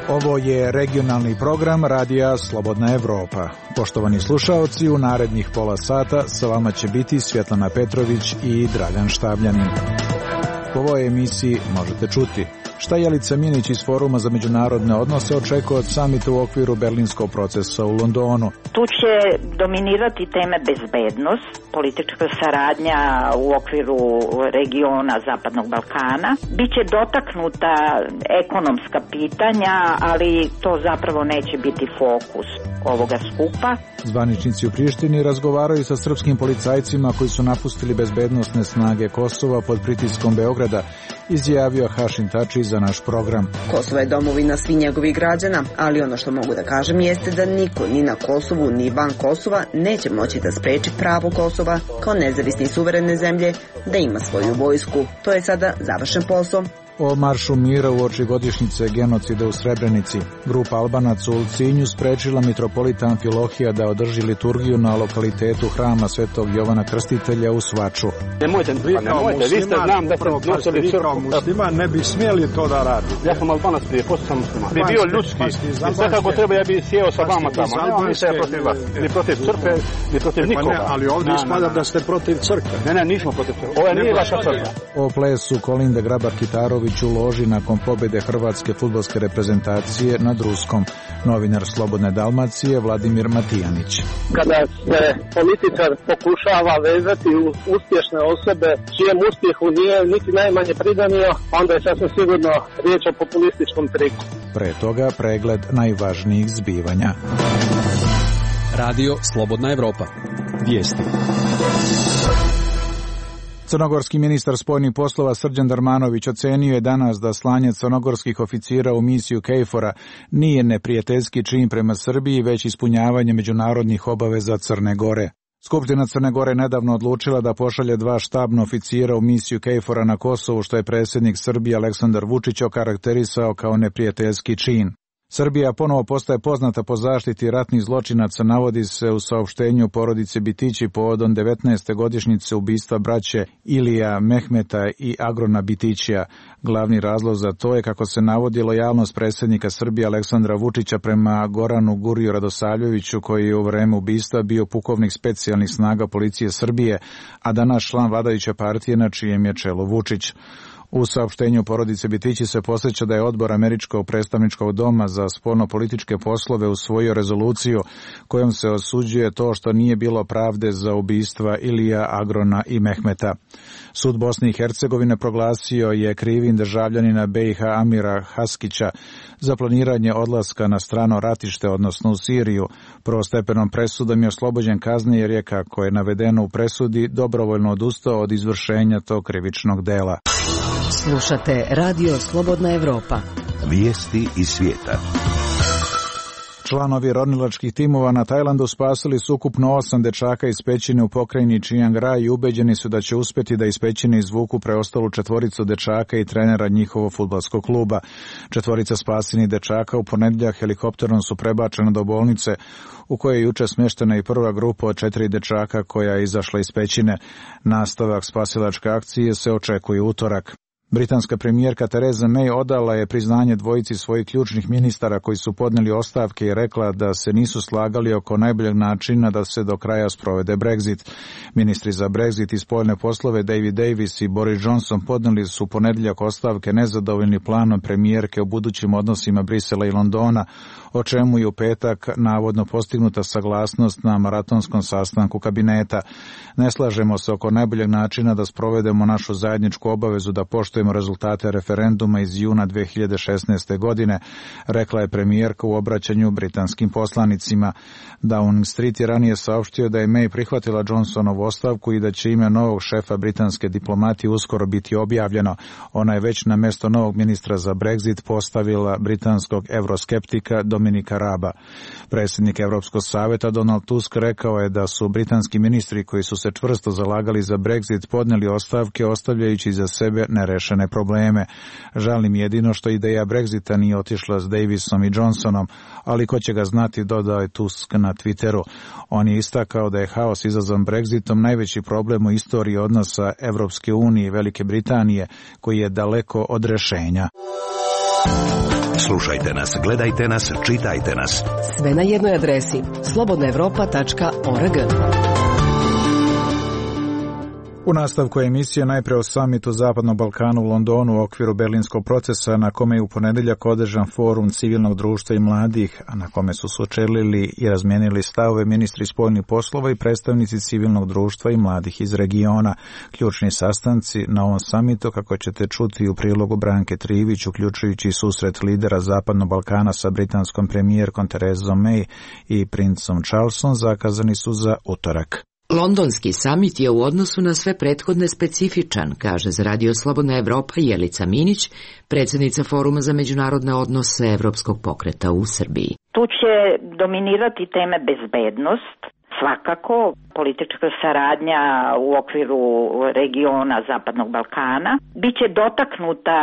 Ovo je regionalni program Radija Slobodna Evropa. Poštovani slušaoci, u narednih pola sata sa vama će biti Svjetlana Petrović i Dragan Štabljanin. U ovoj emisiji možete čuti šta Jelica Minić iz Foruma za međunarodne odnose očekuje od samita u okviru berlinskog procesa u Londonu. Tu će dominirati teme bezbednost, politička saradnja u okviru regiona Zapadnog Balkana. Biće dotaknuta ekonomska pitanja, ali to zapravo neće biti fokus ovoga skupa. Zvaničnici u Prištini razgovaraju sa srpskim policajcima koji su napustili bezbednosne snage Kosova pod pritiskom Beograda, izjavio Hašim Tači za naš program. Kosovo je domovina svih njegovih građana, ali ono što mogu da kažem jeste da niko ni na Kosovu ni van Kosova neće moći da spreči pravo Kosova kao nezavisne i suverene zemlje da ima svoju vojsku. To je sada završen posao. O maršu mira uoči godišnjice genocida u Srebrenici. Grupa Albanaca u Ulcinju sprečila mitropolita Amfilohija da održi liturgiju na lokalitetu hrama Svetog Jovana Krstitelja u Svaču. Nemojte, vi ste znam da ste nosili crkvu. Musliman ne bi smjeli to da radi. Ja sam Albanac prije, posto sam musliman. Bi bio ljudski. I sve kako treba ja bi sjeo sa vama tamo. Nemam ništa protiv vas. Ni protiv crkve, ni protiv nikoga. Ali ovdje ispada da ste protiv crkve. Ne, nismo protiv crkve. Ovo nije vaša crkva. O plesu Kolinda Grabar-Kitarović u loži nakon pobjede hrvatske fudbalske reprezentacije nad Ruskom. Novinar Slobodne Dalmacije Vladimir Matijanić. Kada se političar pokušava vezati u uspješne osobe čijem uspjehu nije niti najmanje pridanio, onda je sasvim sigurno riječ o populističkom triku. Pre toga pregled najvažnijih zbivanja. Radio Slobodna Evropa. Vijesti. Crnogorski ministar spoljnih poslova Srđan Darmanović ocenio je danas da slanje crnogorskih oficira u misiju KFOR-a nije neprijateljski čin prema Srbiji, već ispunjavanje međunarodnih obaveza Crne Gore. Skupština Crne Gore nedavno odlučila da pošalje 2 štabna oficira u misiju KFOR-a na Kosovu, što je predsjednik Srbije Aleksandar Vučić okarakterisao kao neprijateljski čin. Srbija ponovo postaje poznata po zaštiti ratnih zločinaca, navodi se u saopštenju porodice Bitići povodom 19. godišnjice ubistva braće Ilija Mehmeta i Agrona Bitićija. Glavni razlog za to je, kako se navodi, lojalnost predsjednika Srbije Aleksandra Vučića prema Goranu Guriju Radosavljeviću, koji je u vreme ubistva bio pukovnik specijalnih snaga policije Srbije, a danas član vladajuće partije na čijem je čelu Vučić. U saopštenju porodice Bitići se podsjeća da je odbor Američkog predstavničkog doma za spoljno-političke poslove usvojio rezoluciju kojom se osuđuje to što nije bilo pravde za ubistva Ilija, Agrona i Mehmeta. Sud Bosne i Hercegovine proglasio je krivim državljanina BiH Amira Haskića za planiranje odlaska na strano ratište, odnosno u Siriju. Prvostepenom presudom je oslobođen kazne jer je, kako je navedeno u presudi, dobrovoljno odustao od izvršenja tog krivičnog dela. Slušate Radio Slobodna Evropa. Vijesti iz svijeta. Članovi ronilačkih timova na Tajlandu spasili su ukupno 8 dečaka iz pećine u pokrajini Chiang Rai i ubeđeni su da će uspjeti da iz pećine izvuku preostalu 4 dečaka i trenera njihovog fudbalskog kluba. 4 spasenih dečaka u ponedjeljak helikopterom su prebačena do bolnice u kojoj je juče smještena i prva grupa od 4 dečaka koja je izašla iz pećine. Nastavak spasilačke akcije se očekuje utorak. Britanska premijerka Theresa May odala je priznanje dvojici svojih ključnih ministara koji su podnijeli ostavke i rekla da se nisu slagali oko najboljeg načina da se do kraja sprovede Brexit. Ministri za Brexit i spoljne poslove David Davis i Boris Johnson podnijeli su ponedjeljak ostavke nezadovoljni planom premijerke o budućim odnosima Brisela i Londona, o čemu je u petak navodno postignuta saglasnost na maratonskom sastanku kabineta. Ne slažemo se oko najboljeg načina da sprovedemo našu zajedničku obavezu da poštujemo rezultate referenduma iz juna 2016. godine, rekla je premijerka u obraćanju britanskim poslanicima. Downing Street je ranije saopštio da je May prihvatila Johnsonovu ostavku i da će ime novog šefa britanske diplomatije uskoro biti objavljeno. Ona je već na mjesto novog ministra za Brexit postavila britanskog euroskeptika Dominika Raba. Predsjednik Europskog savjeta Donald Tusk rekao je da su britanski ministri koji su se čvrsto zalagali za Brexit podnijeli ostavke ostavljajući za sebe nerešene nerešene probleme. Žalim jedino što ideja Brexita nije otišla s Davisom i Johnsonom, ali ko će ga znati, dodao je Tusk na Twitteru. On je istakao da je haos izazvan Brexitom najveći problem u istoriji odnosa Evropske unije i Velike Britanije, koji je daleko od rešenja. Slušajte nas, gledajte nas, čitajte nas. Sve na jednoj adresi slobodnaevropa.org. U nastavku emisije najpre o samitu Zapadnog Balkana u Londonu u okviru Berlinskog procesa, na kome je u ponedeljak održan forum civilnog društva i mladih, a na kome su sučelili i razmijenili stavove ministri spoljnih poslova i predstavnici civilnog društva i mladih iz regiona. Ključni sastanci na ovom samitu, kako ćete čuti u prilogu Branke Trivić, uključujući susret lidera Zapadnog Balkana sa britanskom premijerkom Terezom May i princom Charlesom, zakazani su za utorak. Londonski samit je u odnosu na sve prethodne specifičan, kaže za Radio Slobodna Evropa Jelica Minić, predsjednica Foruma za međunarodne odnose Evropskog pokreta u Srbiji. Tu će dominirati teme bezbednost, svakako politička saradnja u okviru regiona Zapadnog Balkana. Biće dotaknuta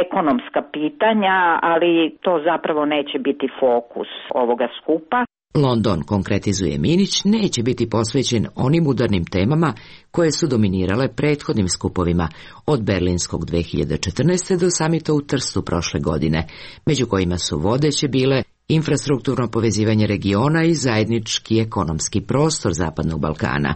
ekonomska pitanja, ali to zapravo neće biti fokus ovoga skupa. London, konkretizuje Minić, neće biti posvećen onim udarnim temama koje su dominirale prethodnim skupovima, od Berlinskog 2014. do samita u Trstu prošle godine, među kojima su vodeće bile infrastrukturno povezivanje regiona i zajednički ekonomski prostor Zapadnog Balkana.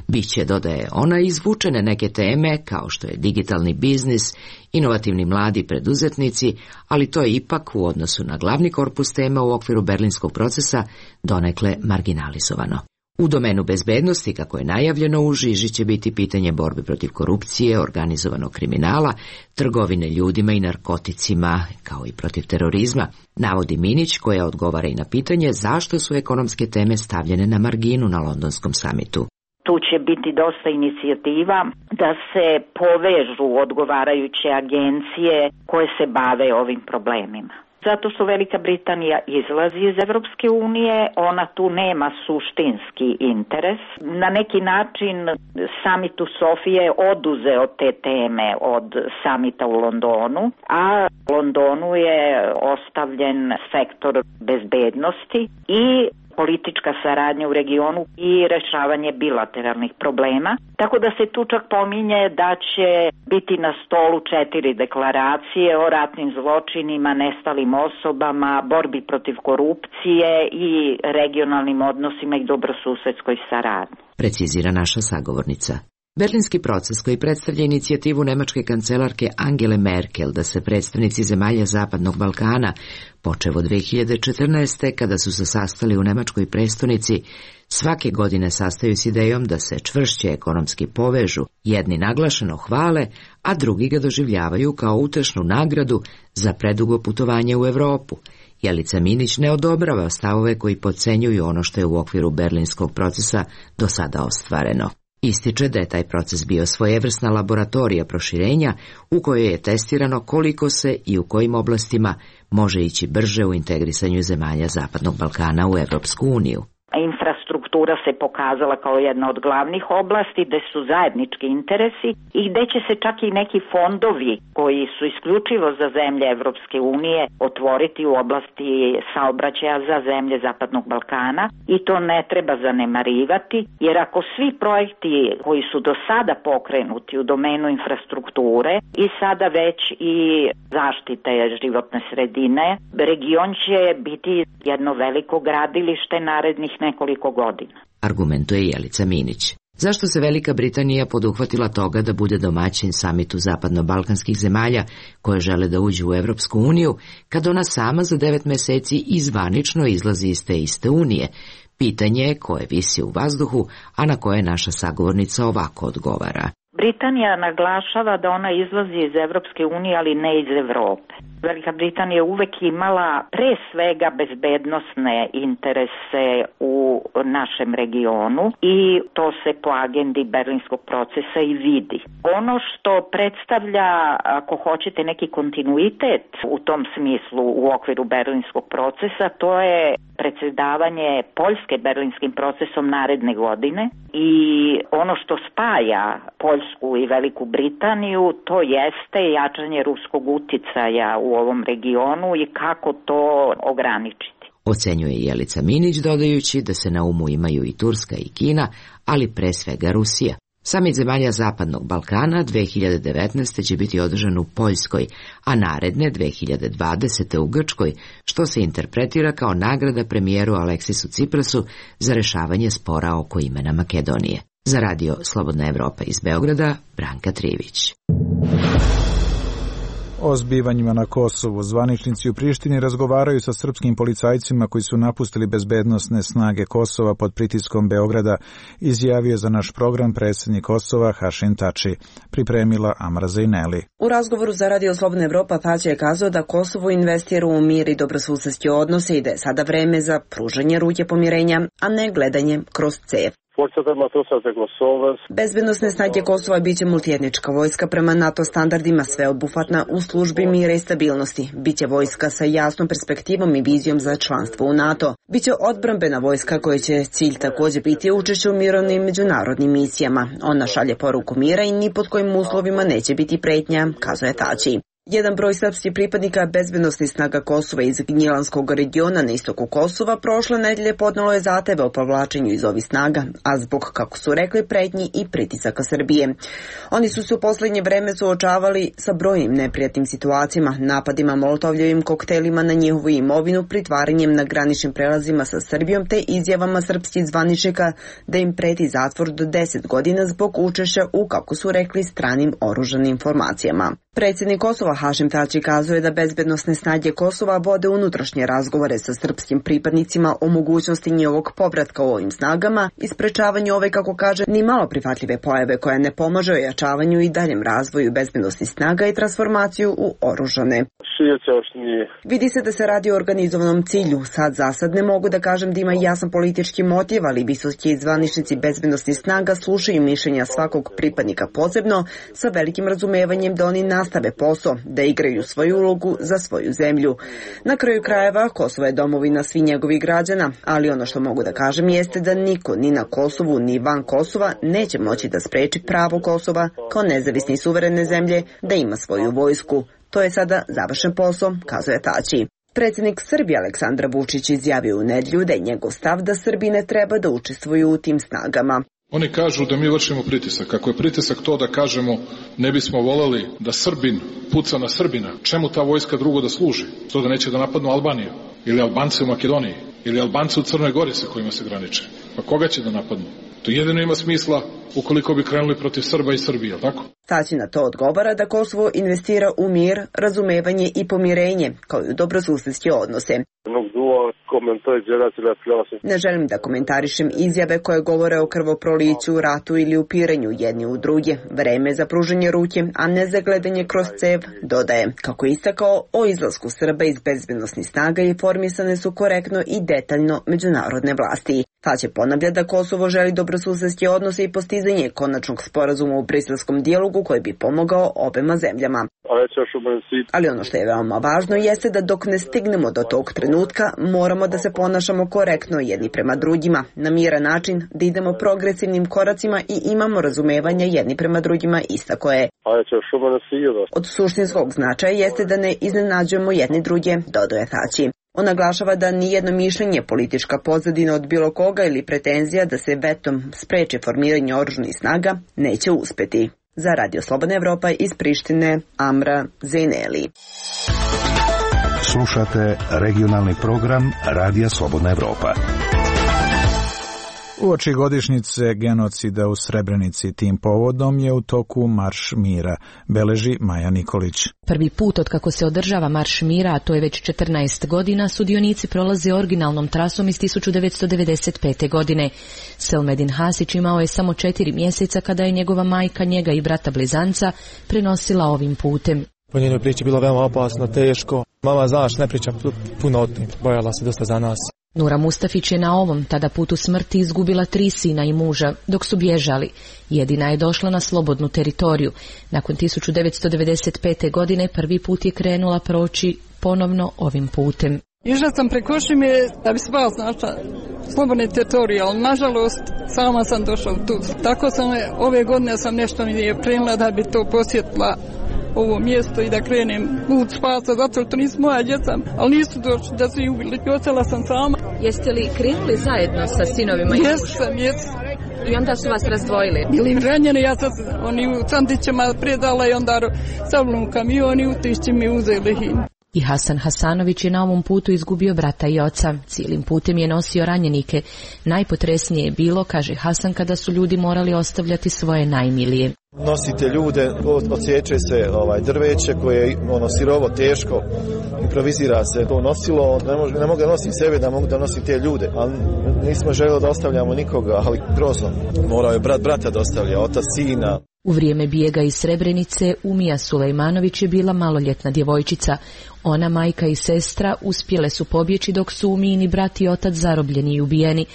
Biće, dodaje ona, izvučene neke teme kao što je digitalni biznis, inovativni mladi preduzetnici, ali to je ipak u odnosu na glavni korpus tema u okviru Berlinskog procesa donekle marginalizovano. U domenu bezbednosti, kako je najavljeno, u žiži će biti pitanje borbe protiv korupcije, organizovanog kriminala, trgovine ljudima i narkoticima, kao i protiv terorizma, navodi Minić, koja odgovara i na pitanje zašto su ekonomske teme stavljene na marginu na londonskom samitu. Tu će biti dosta inicijativa da se povežu odgovarajuće agencije koje se bave ovim problemima. Zato što Velika Britanija izlazi iz Evropske unije, ona tu nema suštinski interes. Na neki način samit u Sofiji je oduzeo te teme od samita u Londonu, a Londonu je ostavljen sektor bezbednosti i politička saradnja u regionu i rešavanje bilateralnih problema. Tako da se tu čak pominje da će biti na stolu 4 deklaracije o ratnim zločinima, nestalim osobama, borbi protiv korupcije i regionalnim odnosima i dobrosusedskoj saradnji. Precizira naša sagovornica. Berlinski proces, koji predstavlja inicijativu nemačke kancelarke Angele Merkel da se predstavnici zemalja Zapadnog Balkana, počev od 2014. kada su se sastali u nemačkoj prestonici, svake godine sastaju s idejom da se čvršće ekonomski povežu, jedni naglašeno hvale, a drugi ga doživljavaju kao utešnu nagradu za predugo putovanje u Evropu. Jelica Minić ne odobrava stavove koji podcenjuju ono što je u okviru berlinskog procesa do sada ostvareno. Ističe da je taj proces bio svojevrsna laboratorija proširenja u kojoj je testirano koliko se i u kojim oblastima može ići brže u integrisanju zemalja Zapadnog Balkana u Evropsku uniju. Infrastruktura se pokazala kao jedna od glavnih oblasti gde su zajednički interesi i gde će se čak i neki fondovi koji su isključivo za zemlje Evropske unije otvoriti u oblasti saobraćaja za zemlje Zapadnog Balkana i to ne treba zanemarivati, jer ako svi projekti koji su do sada pokrenuti u domenu infrastrukture i sada već i zaštite životne sredine, region će biti jedno veliko gradilište narednih nekoliko godina. Argumentuje Jelica Minić. Zašto se Velika Britanija poduhvatila toga da bude domaćin samitu zapadno-balkanskih zemalja koje žele da uđu u Evropsku uniju, kad ona sama za 9 meseci izvanično izlazi iz te iste unije? Pitanje je koje visi u vazduhu, a na koje naša sagovornica ovako odgovara. Britanija naglašava da ona izlazi iz Evropske unije, ali ne iz Evrope. Velika Britanija je uvek imala pre svega bezbednosne interese u našem regionu i to se po agendi Berlinskog procesa i vidi. Ono što predstavlja, ako hoćete, neki kontinuitet u tom smislu u okviru Berlinskog procesa, to je predsjedavanje Poljske Berlinskim procesom naredne godine i ono što spaja Poljsku i Veliku Britaniju, to jeste jačanje ruskog uticaja u ovom regionu i kako to ograničiti. Ocenjuje Jelica Minić, dodajući da se na umu imaju i Turska i Kina, ali pre svega Rusija. Samit zemalja Zapadnog Balkana 2019. će biti održan u Poljskoj, a naredne 2020. u Grčkoj, što se interpretira kao nagrada premijeru Aleksisu Ciprasu za rešavanje spora oko imena Makedonije. Za radio Slobodna Evropa iz Beograda, Branka Trivić. O zbivanjima na Kosovu zvaničnici u Prištini razgovaraju sa srpskim policajcima koji su napustili bezbednosne snage Kosova pod pritiskom Beograda, izjavio za naš program predsjednik Kosova Hašim Tači. Pripremila Amra Zejneli. U razgovoru za radio Slobodna Evropa Tači je kazao da Kosovo investira u mir i dobrosusedske odnose i da je sada vreme za pružanje ruke pomirenja, a ne gledanje kroz cev. Bezbednosne snage Kosova biće multietnička vojska prema NATO standardima, sveobuhvatna u službi mira i stabilnosti. Biće vojska sa jasnom perspektivom i vizijom za članstvo u NATO. Biće odbrambena vojska koja će cilj također biti učešće u mirovnim međunarodnim misijama. Ona šalje poruku mira i ni pod kojim uslovima neće biti pretnja, kazuje Tači. Jedan broj srpskih pripadnika bezbednosnih snaga Kosova iz Gnjilanskog regiona na istoku Kosova prošle nedelje podnelo je zahteve o povlačenju iz ovih snaga, a zbog, kako su rekli, pretnji i pritisaka Srbije. Oni su se u posljednje vreme suočavali sa brojnim neprijatnim situacijama, napadima molotovljevim koktelima na njihovu imovinu, pritvaranjem na graničnim prelazima sa Srbijom te izjavama srpskih zvaničnika da im preti zatvor do 10 godina zbog učešća u, kako su rekli, stranim oružanim formacijama. Predsjednik Kosova Hašim Tači kazuje da bezbednosne snage Kosova vode unutrašnje razgovore sa srpskim pripadnicima o mogućnosti njihovog povratka u ovim snagama i sprečavanju ove, kako kaže, ni malo prihvatljive pojave koja ne pomaže ojačavanju i daljem razvoju bezbednosnih snaga i transformaciju u oružane. Vidi se da se radi o organizovanom cilju. Za sad ne mogu da kažem da ima jasan politički motiv, ali visoki zvaničnici bezbednosnih snaga slušaju mišljenja svakog pripadnika posebno sa velikim razumevanjem da oni nastave posao, da igraju svoju ulogu za svoju zemlju. Na kraju krajeva, Kosovo je domovina svih njegovih građana, ali ono što mogu da kažem jeste da niko ni na Kosovu ni van Kosova neće moći da spreči pravo Kosova kao nezavisne i suverene zemlje da ima svoju vojsku. To je sada završen posao, kazuje Tači. Predsjednik Srbije Aleksandar Vučić izjavio u nedjelju da je njegov stav da Srbi ne treba da učestvuju u tim snagama. Oni kažu da mi vršimo pritisak. Ako je pritisak to da kažemo ne bismo voleli da Srbin puca na Srbina, čemu ta vojska drugo da služi? To da neće da napadnu Albaniju ili Albance u Makedoniji ili Albance u Crnoj Gori sa kojima se graniče. Pa koga će da napadnu? To jedino ima smisla ukoliko bi krenuli protiv Srba i Srbije, tako? Tači na to odgovara da Kosovo investira u mir, razumevanje i pomirenje, kao i u dobrosusedske odnose. Ne želim da komentarišem izjave koje govore o krvoproliću, ratu ili upiranju jedni u druge. Vreme za pružanje ruke, a ne za gledanje kroz cev, dodaje. Kako je istakao, o izlasku Srba iz bezbednosnih snaga informisane su korektno i detaljno međunarodne vlasti. Tači ponavlja da Kosovo želi dobrosusedske odnose i postizanje konačnog sporazuma u briselskom dijalogu koji bi pomogao obema zemljama. Ali ono što je veoma važno jeste da dok ne stignemo do tog trenutka, moramo da se ponašamo korektno jedni prema drugima, na miran način, da idemo progresivnim koracima i imamo razumevanje jedni prema drugima, istako je. Od suštinskog značaja jeste da ne iznenađujemo jedni druge, dodaje Tači. On naglašava da nijedno mišljenje, politička pozadina od bilo koga ili pretenzija da se vetom spreči formiranje oružanih snaga neće uspeti. Za Radio Slobodna Evropa iz Prištine, Amra Zejneli. Slušate regionalni program Radija Slobodna Evropa. Uoči godišnjice genocida u Srebrenici tim povodom je u toku Marš mira, beleži Maja Nikolić. Prvi put od kako se održava Marš mira, a to je već 14 godina, sudionici prolaze originalnom trasom iz 1995. godine. Selmedin Hasić imao je samo 4 mjeseca kada je njegova majka njega i brata blizanca prenosila ovim putem. Po njenoj priči bilo veoma opasno, teško. Mama, znaš, ne priča puno o tim. Bojala se dosta za nas. Nura Mustafić je na ovom tada putu smrti izgubila 3 sina i muža, dok su bježali. Jedina je došla na slobodnu teritoriju. Nakon 1995. godine prvi put je krenula proći ponovno ovim putem. Išla sam preko šume da bi spas našla slobodne teritorije, ali nažalost sama sam došla tu. Tako sam ove godine sam nešto mi je krenula da bi to posjetila ovo mjesto i da krenem put spasa, zato što nisu moja djeca, ali nisu došli da su ih ubili. Ostala sam sama. Jeste li krenuli zajedno sa sinovima i mužem? Jesam. I onda su vas razdvojili? Bili ranjeni, ja sam oni u Sandićima predala i onda savlom u kamion i u Tišći mi uzeli ih. I Hasan Hasanović je na ovom putu izgubio brata i oca. Cijelim putem je nosio ranjenike. Najpotresnije je bilo, kaže Hasan, kada su ljudi morali ostavljati svoje najmilije. Nosite ljude, odsječe se drveće koje je sirovo, teško, improvizira se to nosilo, ne mogu da nosim sebe, da mogu da nosim te ljude, ali nismo željeli da ostavljamo nikoga, ali grozno. Morao je brata da ostavlja, otac sina. U vrijeme bijega iz Srebrenice Umija Sulejmanović je bila maloljetna djevojčica. Ona, majka i sestra uspjele su pobjeći dok su Umijini brat i otac zarobljeni i ubijeni.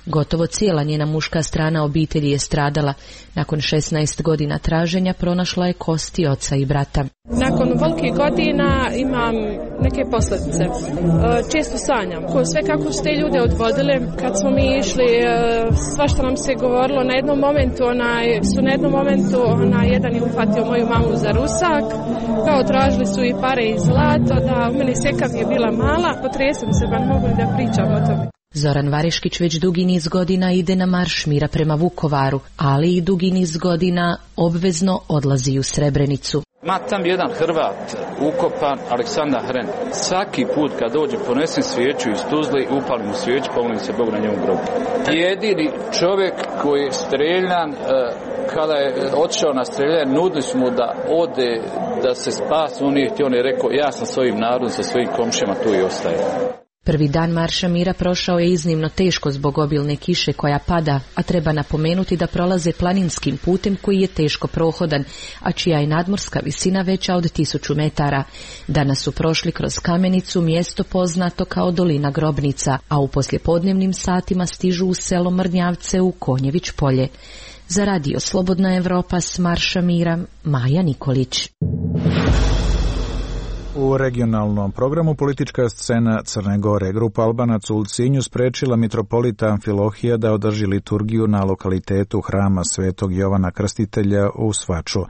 Gotovo cijela njena muška strana obitelji je stradala. Nakon 16 godina traženja pronašla je kosti oca i brata. Nakon velikih godina imam neke posljedice. Često sanjam. Sve kako su te ljude odvodili, kad smo mi išli, svašta nam se govorilo. Na jednom momentu jedan je uhvatio moju mamu za rusak, kao tražili su i pare i zlato, da u meni sekav je bila mala, potresem se, pa ne mogu da pričam o tome. Zoran Variškić već dugi niz godina ide na marš mira prema Vukovaru, ali i dugi niz godina obvezno odlazi u Srebrenicu. Ma tam jedan Hrvat ukopan, Aleksandar Hren. Svaki put kad dođe ponesem svijeću iz Tuzle, upalim u svijeću, pomolim se Bogu na njemu grobu. Jedini čovjek koji je streljan, kada je otišao na streljanje, nudili su mu da ode, da se spasi, on je rekao, ja sam svojim narodom, sa svojim komšijama tu i ostaje. Prvi dan marša mira prošao je iznimno teško zbog obilne kiše koja pada, a treba napomenuti da prolaze planinskim putem koji je teško prohodan, a čija je nadmorska visina veća od 1000 metara. Danas su prošli kroz Kamenicu, mjesto poznato kao Dolina Grobnica, a u poslijepodnevnim satima stižu u selo Mrnjavce u Konjević polje. Za radio Slobodna Evropa s marša mira, Maja Nikolić. U regionalnom programu politička scena Crne Gore. Grupa Albanaca u Ulcinju sprečila mitropolita Amfilohija da održi liturgiju na lokalitetu hrama Svetog Jovana Krstitelja u Svaču.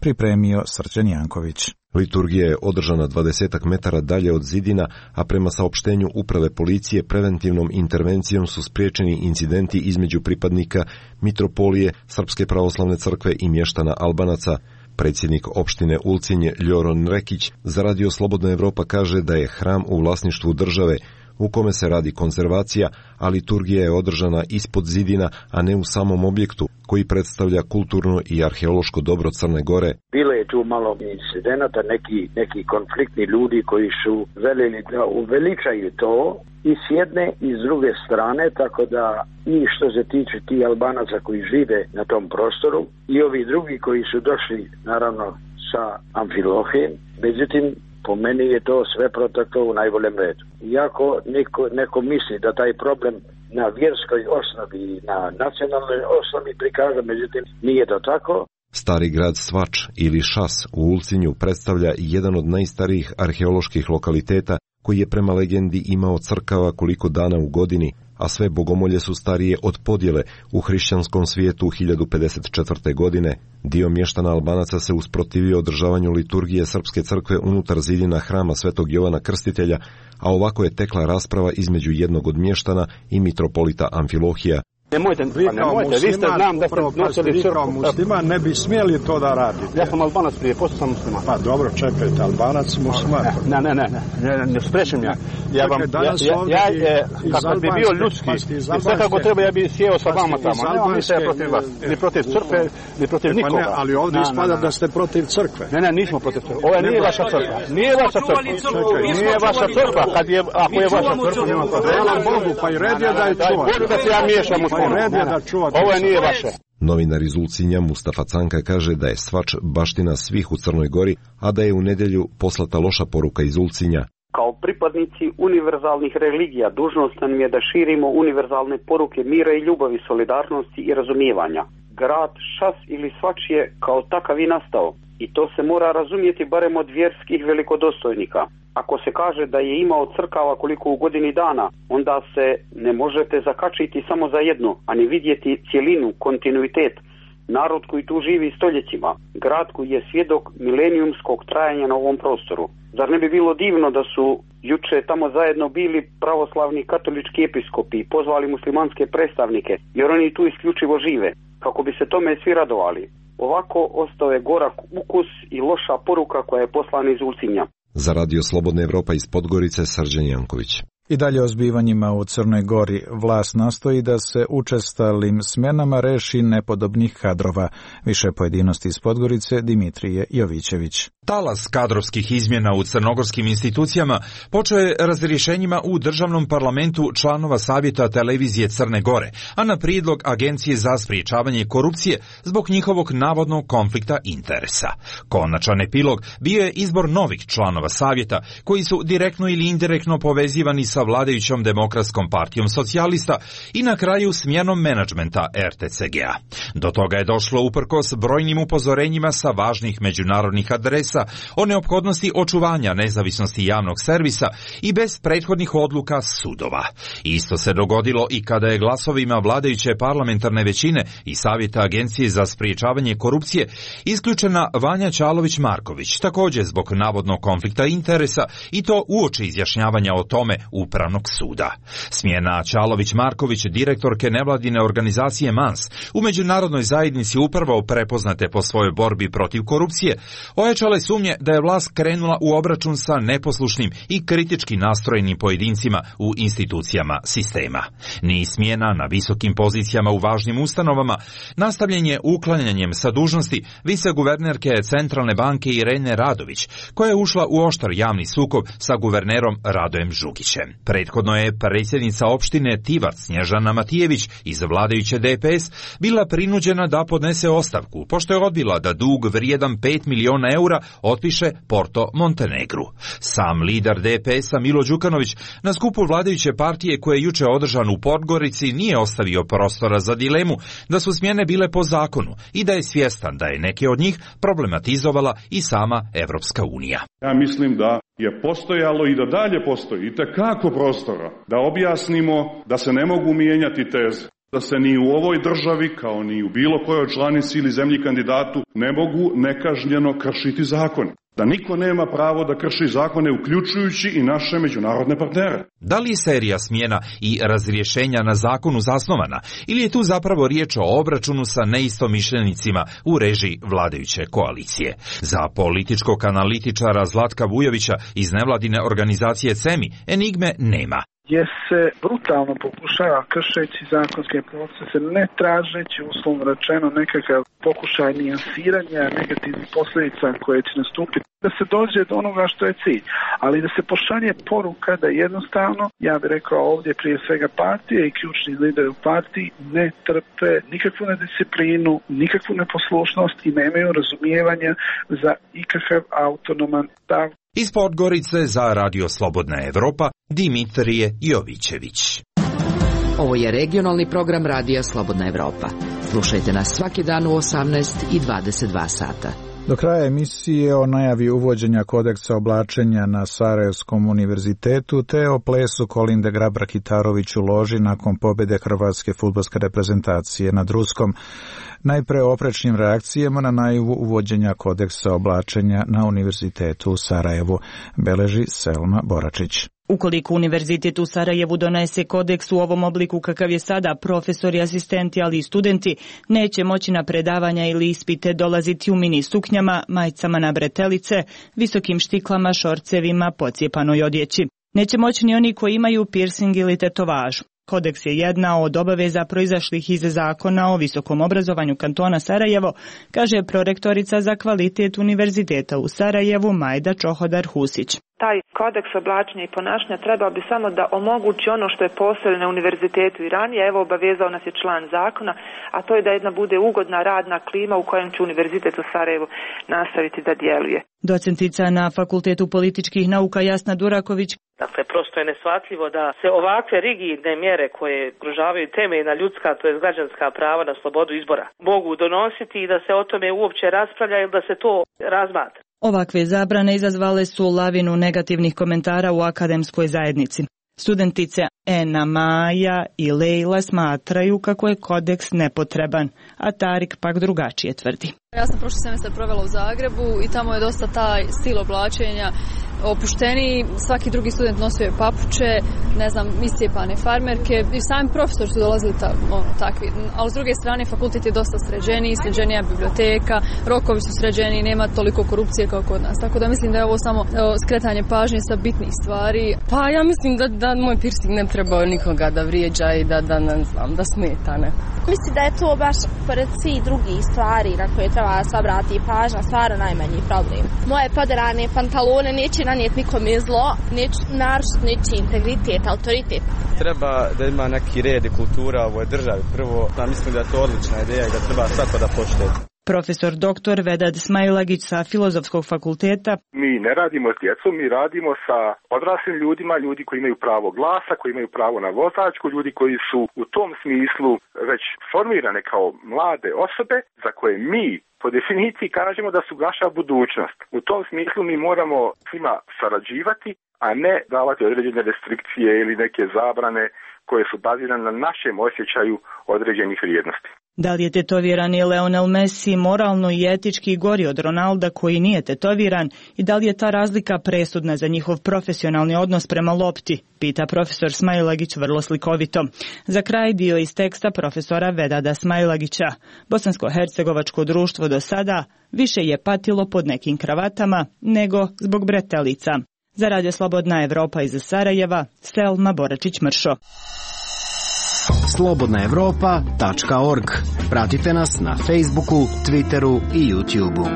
Pripremio Srđan Janković. Liturgija je održana 20 metara dalje od zidina, a prema saopštenju uprave policije preventivnom intervencijom su spriječeni incidenti između pripadnika mitropolije Srpske pravoslavne crkve i mještana Albanaca. Predsjednik opštine Ulcinje Ljoron Rekić za radio Slobodna Evropa kaže da je hram u vlasništvu države u kome se radi konzervacija, a liturgija je održana ispod zidina, a ne u samom objektu koji predstavlja kulturno i arheološko dobro Crne Gore. Bilo je tu malo incidenata, neki konfliktni ljudi koji su željeli da uveličaju to i s jedne i s druge strane, tako da i što se tiče ti Albanaca koji žive na tom prostoru i ovi drugi koji su došli naravno sa Amfilohijem, međutim po meni je to sve proteklo u najboljem redu. Iako neko misli da taj problem na vjerskoj osnovi i na nacionalnoj osnovi prikaže, međutim nije to tako. Stari grad Svač ili Šas u Ulcinju predstavlja jedan od najstarijih arheoloških lokaliteta koji je prema legendi imao crkava koliko dana u godini, a sve bogomolje su starije od podjele u hrišćanskom svijetu 1054. godine. Dio mještana Albanaca se usprotivio održavanju liturgije Srpske crkve unutar zidina hrama Svetog Jovana Krstitelja, a ovako je tekla rasprava između jednog od mještana i mitropolita Amfilohija. Nemojte, vi ste znam da ste nosili crkvu. Musliman ne bi smjeli to da radite. Ja sam Albanac prije, posto sam musliman. Pa dobro, čekajte, Albanac musliman. Ne sprečem ja. Kako bi bio ljudski, i sve kako treba ja bi sjeo sa vama tamo. Nemam ništa ja protiv vas, ni protiv crkve, ni protiv nikoga. Ne, ali ovdje ispada da ste protiv crkve. Ne, nismo protiv crkve. Ovo nije vaša crkva. Nije vaša crkva. Nije vaša crkva. Ako je vaša crkva, nema protiv. Hvala Bogu, pa i red je da je čuvate. Bogu da se ja miješam u Ovo nije vaše. Novinar iz Ulcinja Mustafa Canka kaže da je svač baština svih u Crnoj Gori, a da je u nedjelju poslata loša poruka iz Ulcinja. Kao pripadnici univerzalnih religija dužnost nam je da širimo univerzalne poruke mira i ljubavi, solidarnosti i razumijevanja. Grad, šas ili svač je kao takav i nastao i to se mora razumjeti barem od vjerskih velikodostojnika. Ako se kaže da je imao crkava koliko u godini dana, onda se ne možete zakačiti samo za jednu, a ne vidjeti cjelinu, kontinuitet. Narod koji tu živi stoljećima, grad koji je svjedok milenijumskog trajanja na ovom prostoru. Zar ne bi bilo divno da su juče tamo zajedno bili pravoslavni katolički episkopi i pozvali muslimanske predstavnike, jer oni tu isključivo žive, kako bi se tome svi radovali. Ovako ostao je gorak ukus i loša poruka koja je poslana iz Ulcinja. Za Radio Slobodna Evropa iz Podgorice, Srđan Janković. I dalje o zbivanjima u Crnoj Gori. Vlast nastoji da se učestalim smjenama reši nepodobnih kadrova. Više pojedinosti iz Podgorice, Dimitrije Jovićević. Talas kadrovskih izmjena u crnogorskim institucijama počeo je razrješenjima u državnom parlamentu članova Savjeta televizije Crne Gore, a na prijedlog Agencije za sprječavanje korupcije zbog njihovog navodnog konflikta interesa. Konačan epilog bio je izbor novih članova Savjeta, koji su direktno ili indirektno povezivani sa vladajućom Demokratskom partijom socijalista i na kraju smjenom menadžmenta RTCG-a. Do toga je došlo uprkos brojnim upozorenjima sa važnih međunarodnih adresa o neophodnosti očuvanja nezavisnosti javnog servisa i bez prethodnih odluka sudova. Isto se dogodilo i kada je glasovima vladajuće parlamentarne većine i Savjeta Agencije za sprječavanje korupcije isključena Vanja Čalović-Marković, također zbog navodnog konflikta interesa, i to uoči izjašnjavanja o tome Upravnog suda. Smjena Čalović-Marković, direktorke nevladine organizacije MANS, u međunarodnoj zajednici upravo prepoznate po svojoj borbi protiv korupcije, ojačale sumnje da je vlast krenula u obračun sa neposlušnim i kritički nastrojenim pojedincima u institucijama sistema. Niz smjena na visokim pozicijama u važnim ustanovama nastavljen je uklanjanjem sa dužnosti viceguvernerke Centralne banke Irene Radović, koja je ušla u oštar javni sukob sa guvernerom Radojem Žugićem. Prethodno je predsjednica opštine Tivar Snježana Matijević iz vladajuće DPS bila prinuđena da podnese ostavku, pošto je odbila da dug vrijedan 5 miliona eura otpiše Porto Montenegru. Sam lider DPS-a Milo Đukanović na skupu vladajuće partije koje je juče održan u Podgorici nije ostavio prostora za dilemu da su smjene bile po zakonu i da je svjestan da je neke od njih problematizovala i sama Evropska unija. Ja mislim da je postojalo i da dalje postoji itekako prostora da objasnimo da se ne mogu mijenjati teze, da se ni u ovoj državi, kao ni u bilo kojoj članici ili zemlji kandidatu, ne mogu nekažnjeno kršiti zakone. Da niko nema pravo da krši zakone, uključujući i naše međunarodne partnere. Da li je serija smjena i razrješenja na zakonu zasnovana, ili je tu zapravo riječ o obračunu sa neistomišljenicima u režiji vladajuće koalicije? Za političkog analitičara Zlatka Vujovića iz nevladine organizacije CEMI enigme nema. Gdje se brutalno pokušava, kršeći zakonske procese, ne tražeći, uslovno rečeno, nekakav pokušaj nijansiranja negativnih posljedica koje će nastupiti, da se dođe do onoga što je cilj, ali da se pošalje poruka da jednostavno, ja bih rekao ovdje prije svega partije i ključni lideri u partiji ne trpe nikakvu nedisciplinu, nikakvu neposlušnost i nemaju razumijevanja za ikakav autonoman stav. Iz Podgorice za Radio Slobodna Evropa, Dimitrije Jovićević. Ovo je regionalni program Radija Slobodna Evropa. Slušajte nas svaki dan u 18 i 22 sata. Do kraja emisije o najavi uvođenja kodeksa oblačenja na Sarajevskom univerzitetu te o plesu Kolinde Grabar-Kitarović u loži nakon pobjede hrvatske fudbalske reprezentacije nad Ruskom. Najpre o oprečnim reakcijama na najavu uvođenja kodeksa oblačenja na univerzitetu u Sarajevu, beleži Selma Boračić. Ukoliko univerzitet u Sarajevu donese kodeks u ovom obliku kakav je sada, profesori, asistenti, ali i studenti neće moći na predavanja ili ispite dolaziti u mini suknjama, majicama na bretelice, visokim štiklama, šorcevima, pocijepanoj odjeći. Neće moći ni oni koji imaju piercing ili tetovažu. Kodeks je jedna od obaveza proizašlih iz zakona o visokom obrazovanju kantona Sarajevo, kaže prorektorica za kvalitet Univerziteta u Sarajevu Majda Čohodar-Husić. Taj kodeks oblačenja i ponašanja trebao bi samo da omogući ono što je postojalo na univerzitetu i ranije, evo obavezao nas je član zakona, a to je da jedna bude ugodna radna klima u kojem će Univerzitet u Sarajevu nastaviti da djeluje. Docentica na Fakultetu političkih nauka Jasna Duraković. Dakle, prosto je neshvatljivo da se ovakve rigidne mjere koje ugrožavaju temeljna ljudska, to je građanska prava na slobodu izbora, mogu donositi i da se o tome uopće raspravlja ili da se to razmatra. Ovakve zabrane izazvale su lavinu negativnih komentara u akademskoj zajednici. Studentice Ena, Maja i Lejla smatraju kako je kodeks nepotreban, a Tarik pak drugačije tvrdi. Ja sam prošli semestar provela u Zagrebu i tamo je dosta taj stil oblačenja opušteniji, svaki drugi student nosio je papuče, ne znam, iscijepane farmerke i sami profesori su dolazili takvi. Ali s druge strane fakultet je dosta sređeniji, sređenija biblioteka, rokovi su sređeniji, nema toliko korupcije kao kod nas. Tako da mislim da je ovo samo skretanje pažnje sa bitnih stvari. Pa ja mislim da moj piercing ne treba nikoga da vrijeđa i da smeta, ne. Mislim da je to baš pored svih drugih stvari na koje treba se obrati pažnja, stvarno najmanji problem. Moje poderane pantalone neće nanijeti nikome zlo, neće narušiti ničiji integritet, autoritet. Treba da ima neki red i kultura u ovoj državi. Prvo, mislim da je to odlična ideja i da treba svako da poštuje. Profesor dr. Vedad Smailagić sa Filozofskog fakulteta. Mi ne radimo s djecom, mi radimo sa odraslim ljudima, ljudi koji imaju pravo glasa, koji imaju pravo na vozačku, ljudi koji su u tom smislu već formirane kao mlade osobe za koje mi po definiciji kažemo da su naša budućnost. U tom smislu mi moramo svima sarađivati, a ne davati određene restrikcije ili neke zabrane koje su bazirane na našem osjećaju određenih vrijednosti. Da li je tetovirani Lionel Messi moralno i etički gori od Ronalda koji nije tetoviran i da li je ta razlika presudna za njihov profesionalni odnos prema lopti, pita profesor Smailagić vrlo slikovito. Za kraj dio iz teksta profesora Vedada Smailagića. Bosansko-hercegovačko društvo do sada više je patilo pod nekim kravatama nego zbog bretelica. Za Radio Slobodna Evropa iz Sarajeva, Selma Boračić-Mršo. slobodnaevropa.org. Pratite nas na Facebooku, Twitteru i YouTubeu.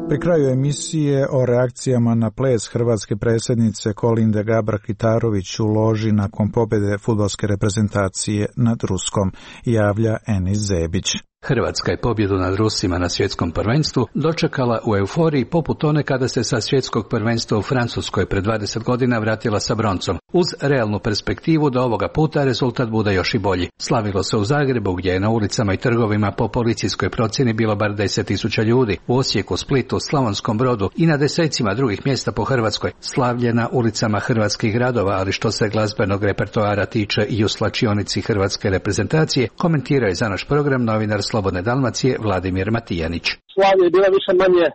Pri kraju emisije o reakcijama na ples hrvatske predsjednice Kolinde Grabar-Kitarović u loži nakon pobjede fudbalske reprezentacije nad Ruskom, javlja Enis Zebić. Hrvatska je pobjedu nad Rusima na svjetskom prvenstvu dočekala u euforiji poput one kada se sa svjetskog prvenstva u Francuskoj pred 20 godina vratila sa broncom, uz realnu perspektivu da ovoga puta rezultat bude još i bolji. Slavilo se u Zagrebu gdje je na ulicama i trgovima po policijskoj procjeni bilo bar 10.000 ljudi, u Osijeku, Splitu, Slavonskom Brodu i na desecima drugih mjesta po Hrvatskoj. Slavlje na ulicama hrvatskih gradova, ali što se glazbenog repertoara tiče i u slačionici hrvatske reprezentacije, komentirao je za naš program novinar Slobodne Dalmacije Vladimir Matijanić. Slavlje je bila više manje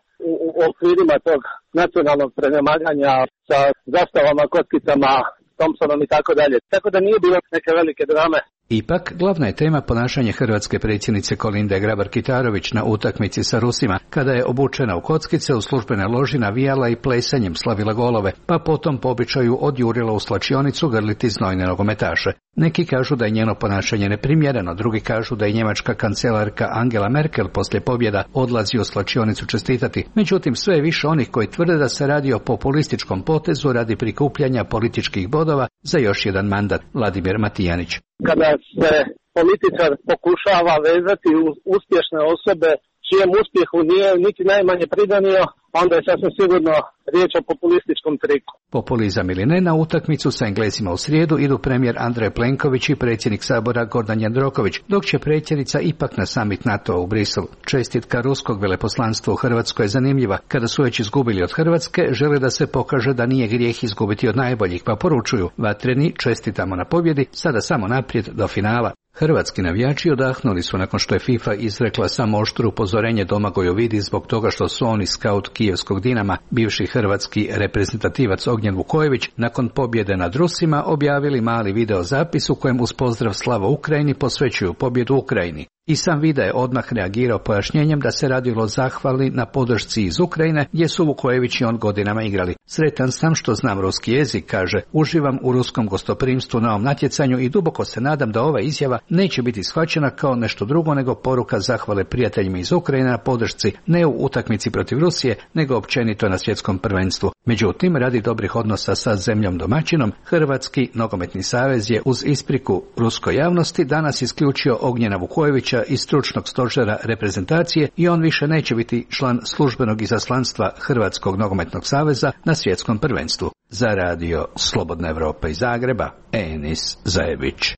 u okvirima tog nacionalnog prenemaganja sa zastavama, kockicama, Thompsonom i tako dalje. Tako da nije bilo neke velike drame. Ipak, glavna je tema ponašanje hrvatske predsjednice Kolinde Grabar-Kitarović na utakmici sa Rusima, kada je obučena u kockice u službene loži navijala i plesanjem slavila golove, pa potom po običaju odjurila u slačionicu grliti znojne nogometaše. Neki kažu da je njeno ponašanje neprimjereno, drugi kažu da je njemačka kancelarka Angela Merkel poslije pobjeda odlazi u slačionicu čestitati. Međutim, sve je više onih koji tvrde da se radi o populističkom potezu radi prikupljanja političkih bodova za još jedan mandat. Vladimir Matijanić. Kada se političar pokušava vezati uspješne osobe čijem uspjehu nije niti najmanje pridanio, onda je sasvim sigurno riječ o populističkom triku. Populizam ili ne, na utakmicu sa Englezima u srijedu idu premijer Andrej Plenković i predsjednik Sabora Gordan Jandroković, dok će predsjednica ipak na summit NATO u Briselu. Čestitka ruskog veleposlanstva u Hrvatskoj je zanimljiva. Kada su već izgubili od Hrvatske, žele da se pokaže da nije grijeh izgubiti od najboljih, pa poručuju: vatreni, čestitamo na pobjedi, sada samo naprijed do finala. Hrvatski navijači odahnuli su nakon što je FIFA izrekla samo oštro upozorenje Domagoju Vidi zbog toga što su oni skaut kijevskog Dinama, bivši hrvatski reprezentativac Ognjen Vukojević, nakon pobjede nad Rusima objavili mali video zapis u kojem uz pozdrav slava Ukrajini posvećuju pobjedu Ukrajini. I sam Vida je odmah reagirao pojašnjenjem da se radilo o zahvali na podršci iz Ukrajine, gdje su Vukojević i on godinama igrali. Sretan sam što znam ruski jezik, kaže, uživam u ruskom gostoprimstvu na ovom natjecanju i duboko se nadam da ova izjava neće biti shvaćena kao nešto drugo nego poruka zahvale prijateljima iz Ukrajine na podršci ne u utakmici protiv Rusije, nego općenito na svjetskom prvenstvu. Međutim, radi dobrih odnosa sa zemljom domaćinom, Hrvatski nogometni savez je uz ispriku ruskoj javnosti danas isključio Ognjena Vukojevića iz stručnog stožera reprezentacije i on više neće biti član službenog izaslanstva Hrvatskog nogometnog saveza na svjetskom prvenstvu. Za radio Slobodna Evropa iz Zagreba, Enis Zajević.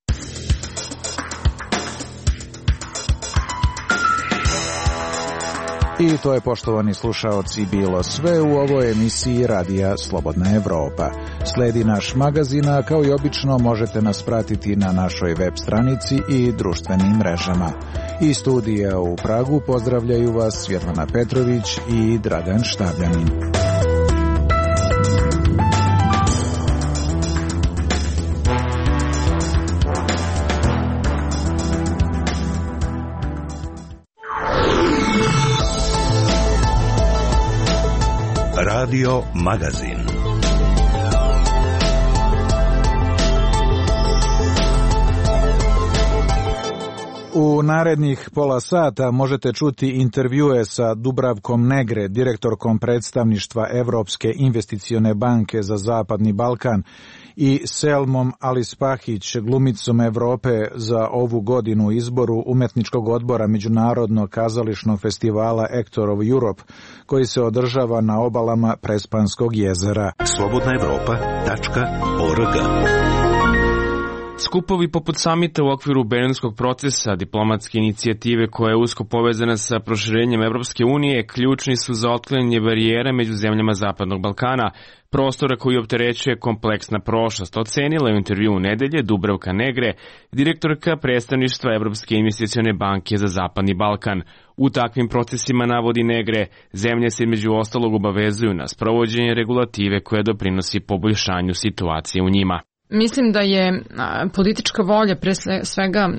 I to je, poštovani slušaoci, bilo sve u ovoj emisiji Radija Slobodna Evropa. Sledi naš magazin, a kao i obično možete nas pratiti na našoj web stranici i društvenim mrežama. Iz studija u Pragu pozdravljaju vas Svjetlana Petrović i Dragan Štabljanin. Radio Magazin. U narednih pola sata možete čuti intervjue sa Dubravkom Negre, direktorkom predstavništva Evropske investicione banke za Zapadni Balkan, i Selmom Alispahić, glumicom Evrope za ovu godinu izboru Umetničkog odbora Međunarodnog kazališnog festivala Actor of Europe, koji se održava na obalama Prespanskog jezera. slobodnaevropa.org. Skupovi poput samita u okviru Berlinskog procesa, diplomatske inicijative koja je usko povezana sa proširenjem Evropske unije, ključni su za otklanjanje barijera među zemljama Zapadnog Balkana, prostora koji opterećuje kompleksna prošlost, ocenila je u intervju u nedelje Dubravka Negre, direktorka predstavništva Evropske investicione banke za Zapadni Balkan. U takvim procesima, navodi Negre, zemlje se među ostalog obavezuju na sprovođenje regulative koja doprinosi poboljšanju situacije u njima. Mislim da je politička volja pre svega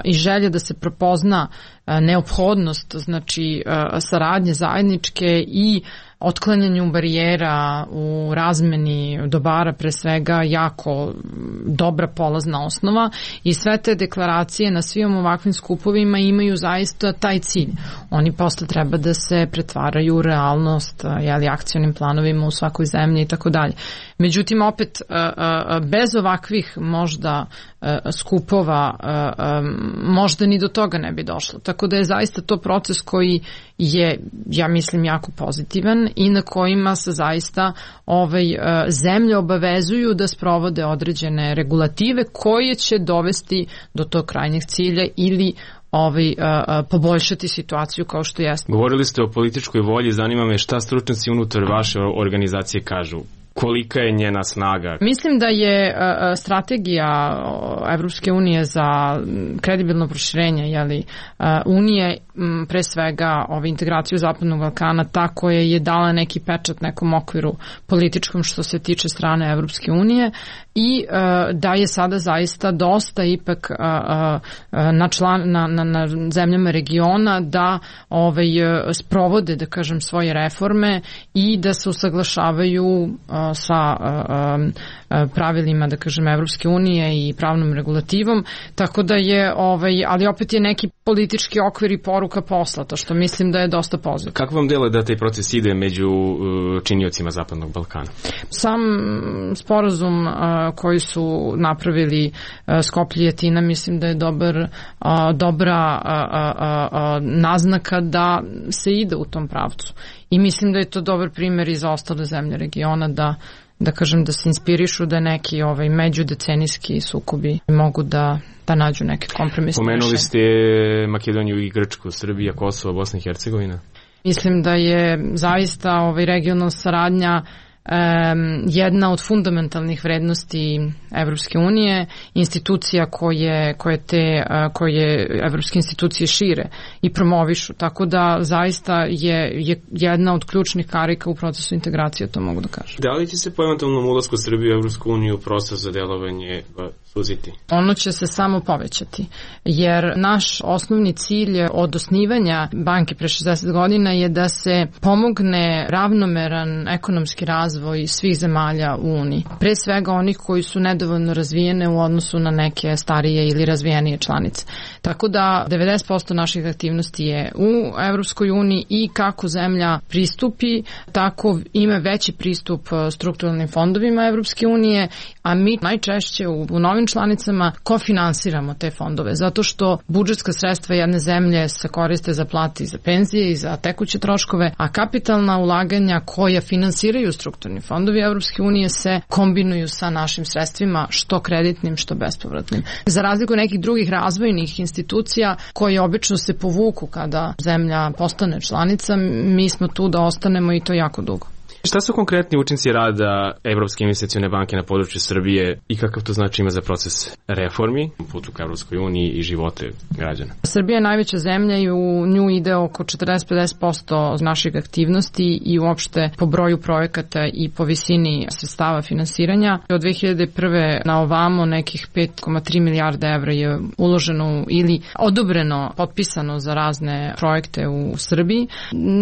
i želja da se prepozna neophodnost, znači saradnje zajedničke i otklanjanju barijera u razmeni dobara pre svega jako dobra polazna osnova i sve te deklaracije na svim ovakvim skupovima imaju zaista taj cilj. Oni posle treba da se pretvaraju u realnost, akcionim planovima u svakoj zemlji i tako dalje. Međutim, opet, bez ovakvih možda skupova možda ni do toga ne bi došlo. Tako da je zaista to proces koji je, ja mislim, jako pozitivan i na kojima se zaista zemlje obavezuju da sprovode određene regulative koje će dovesti do tog krajnjeg cilja ili poboljšati situaciju kao što jeste. Govorili ste o političkoj volji, zanima me šta stručnjaci unutar vaše organizacije kažu. Kolika je njena snaga? Mislim da je strategija Evropske unije za kredibilno proširenje unije, pre svega integraciju Zapadnog Balkana, ta koja je dala neki pečat nekom okviru političkom što se tiče strane Evropske unije i da je sada zaista dosta ipak na zemljama regiona da sprovode, da kažem, svoje reforme i da se usaglašavaju sa pravilima, da kažem, Evropske unije i pravnom regulativom, tako da je, ali opet je neki politički okvir i poruka poslata, što mislim da je dosta pozitivno. Kako vam deluje da taj proces ide među činiocima Zapadnog Balkana? Sam sporazum koji su napravili Skoplje i Atina, mislim da je dobra naznaka da se ide u tom pravcu. I mislim da je to dobar primjer i za ostale zemlje regiona da kažem da se inspirišu da neki međudecenijski sukobi mogu da nađu neke kompromisne rešenje. Pomenuli ste Makedoniju i Grčku, Srbija, Kosovo, Bosna i Hercegovina. Mislim da je zaista regionalna saradnja jedna od fundamentalnih vrednosti Evropske unije, institucija koje evropske institucije šire i promovišu, tako da zaista je jedna od ključnih karika u procesu integracije, to mogu da kažem. Da li će se po eventualnom ulasku Srbije u Evropsku uniju proces za delovanje suziti? Ono će se samo povećati, jer naš osnovni cilj od osnivanja banke pre 60 godina je da se pomogne ravnomeran ekonomski razvoj svih zemalja u Uniji. Pre svega onih koji su nedovoljno razvijene u odnosu na neke starije ili razvijenije članice. Tako da 90% naših aktivnosti je u Evropskoj uniji i kako zemlja pristupi, tako ima veći pristup strukturalnim fondovima Evropske unije, a mi najčešće u novim članicama kofinansiramo te fondove, zato što budžetska sredstva jedne zemlje se koriste za plate i za penzije i za tekuće troškove, a kapitalna ulaganja koja finansiraju strukturni fondovi Evropske unije se kombinuju sa našim sredstvima, što kreditnim, što bespovratnim. Za razliku nekih drugih razvojnih institucija koje obično se povuku kada zemlja postane članica, mi smo tu da ostanemo i to jako dugo. Šta su konkretni učinci rada Evropske investicione banke na području Srbije i kakav to znači ima za proces reformi, putu ka Evropskoj uniji i živote građana? Srbija je najveća zemlja i u nju ide oko 40-50% naših aktivnosti i uopšte po broju projekata i po visini sredstava finansiranja. Od 2001. na ovamo nekih 5,3 milijarde evra je uloženo ili odobreno, potpisano za razne projekte u Srbiji.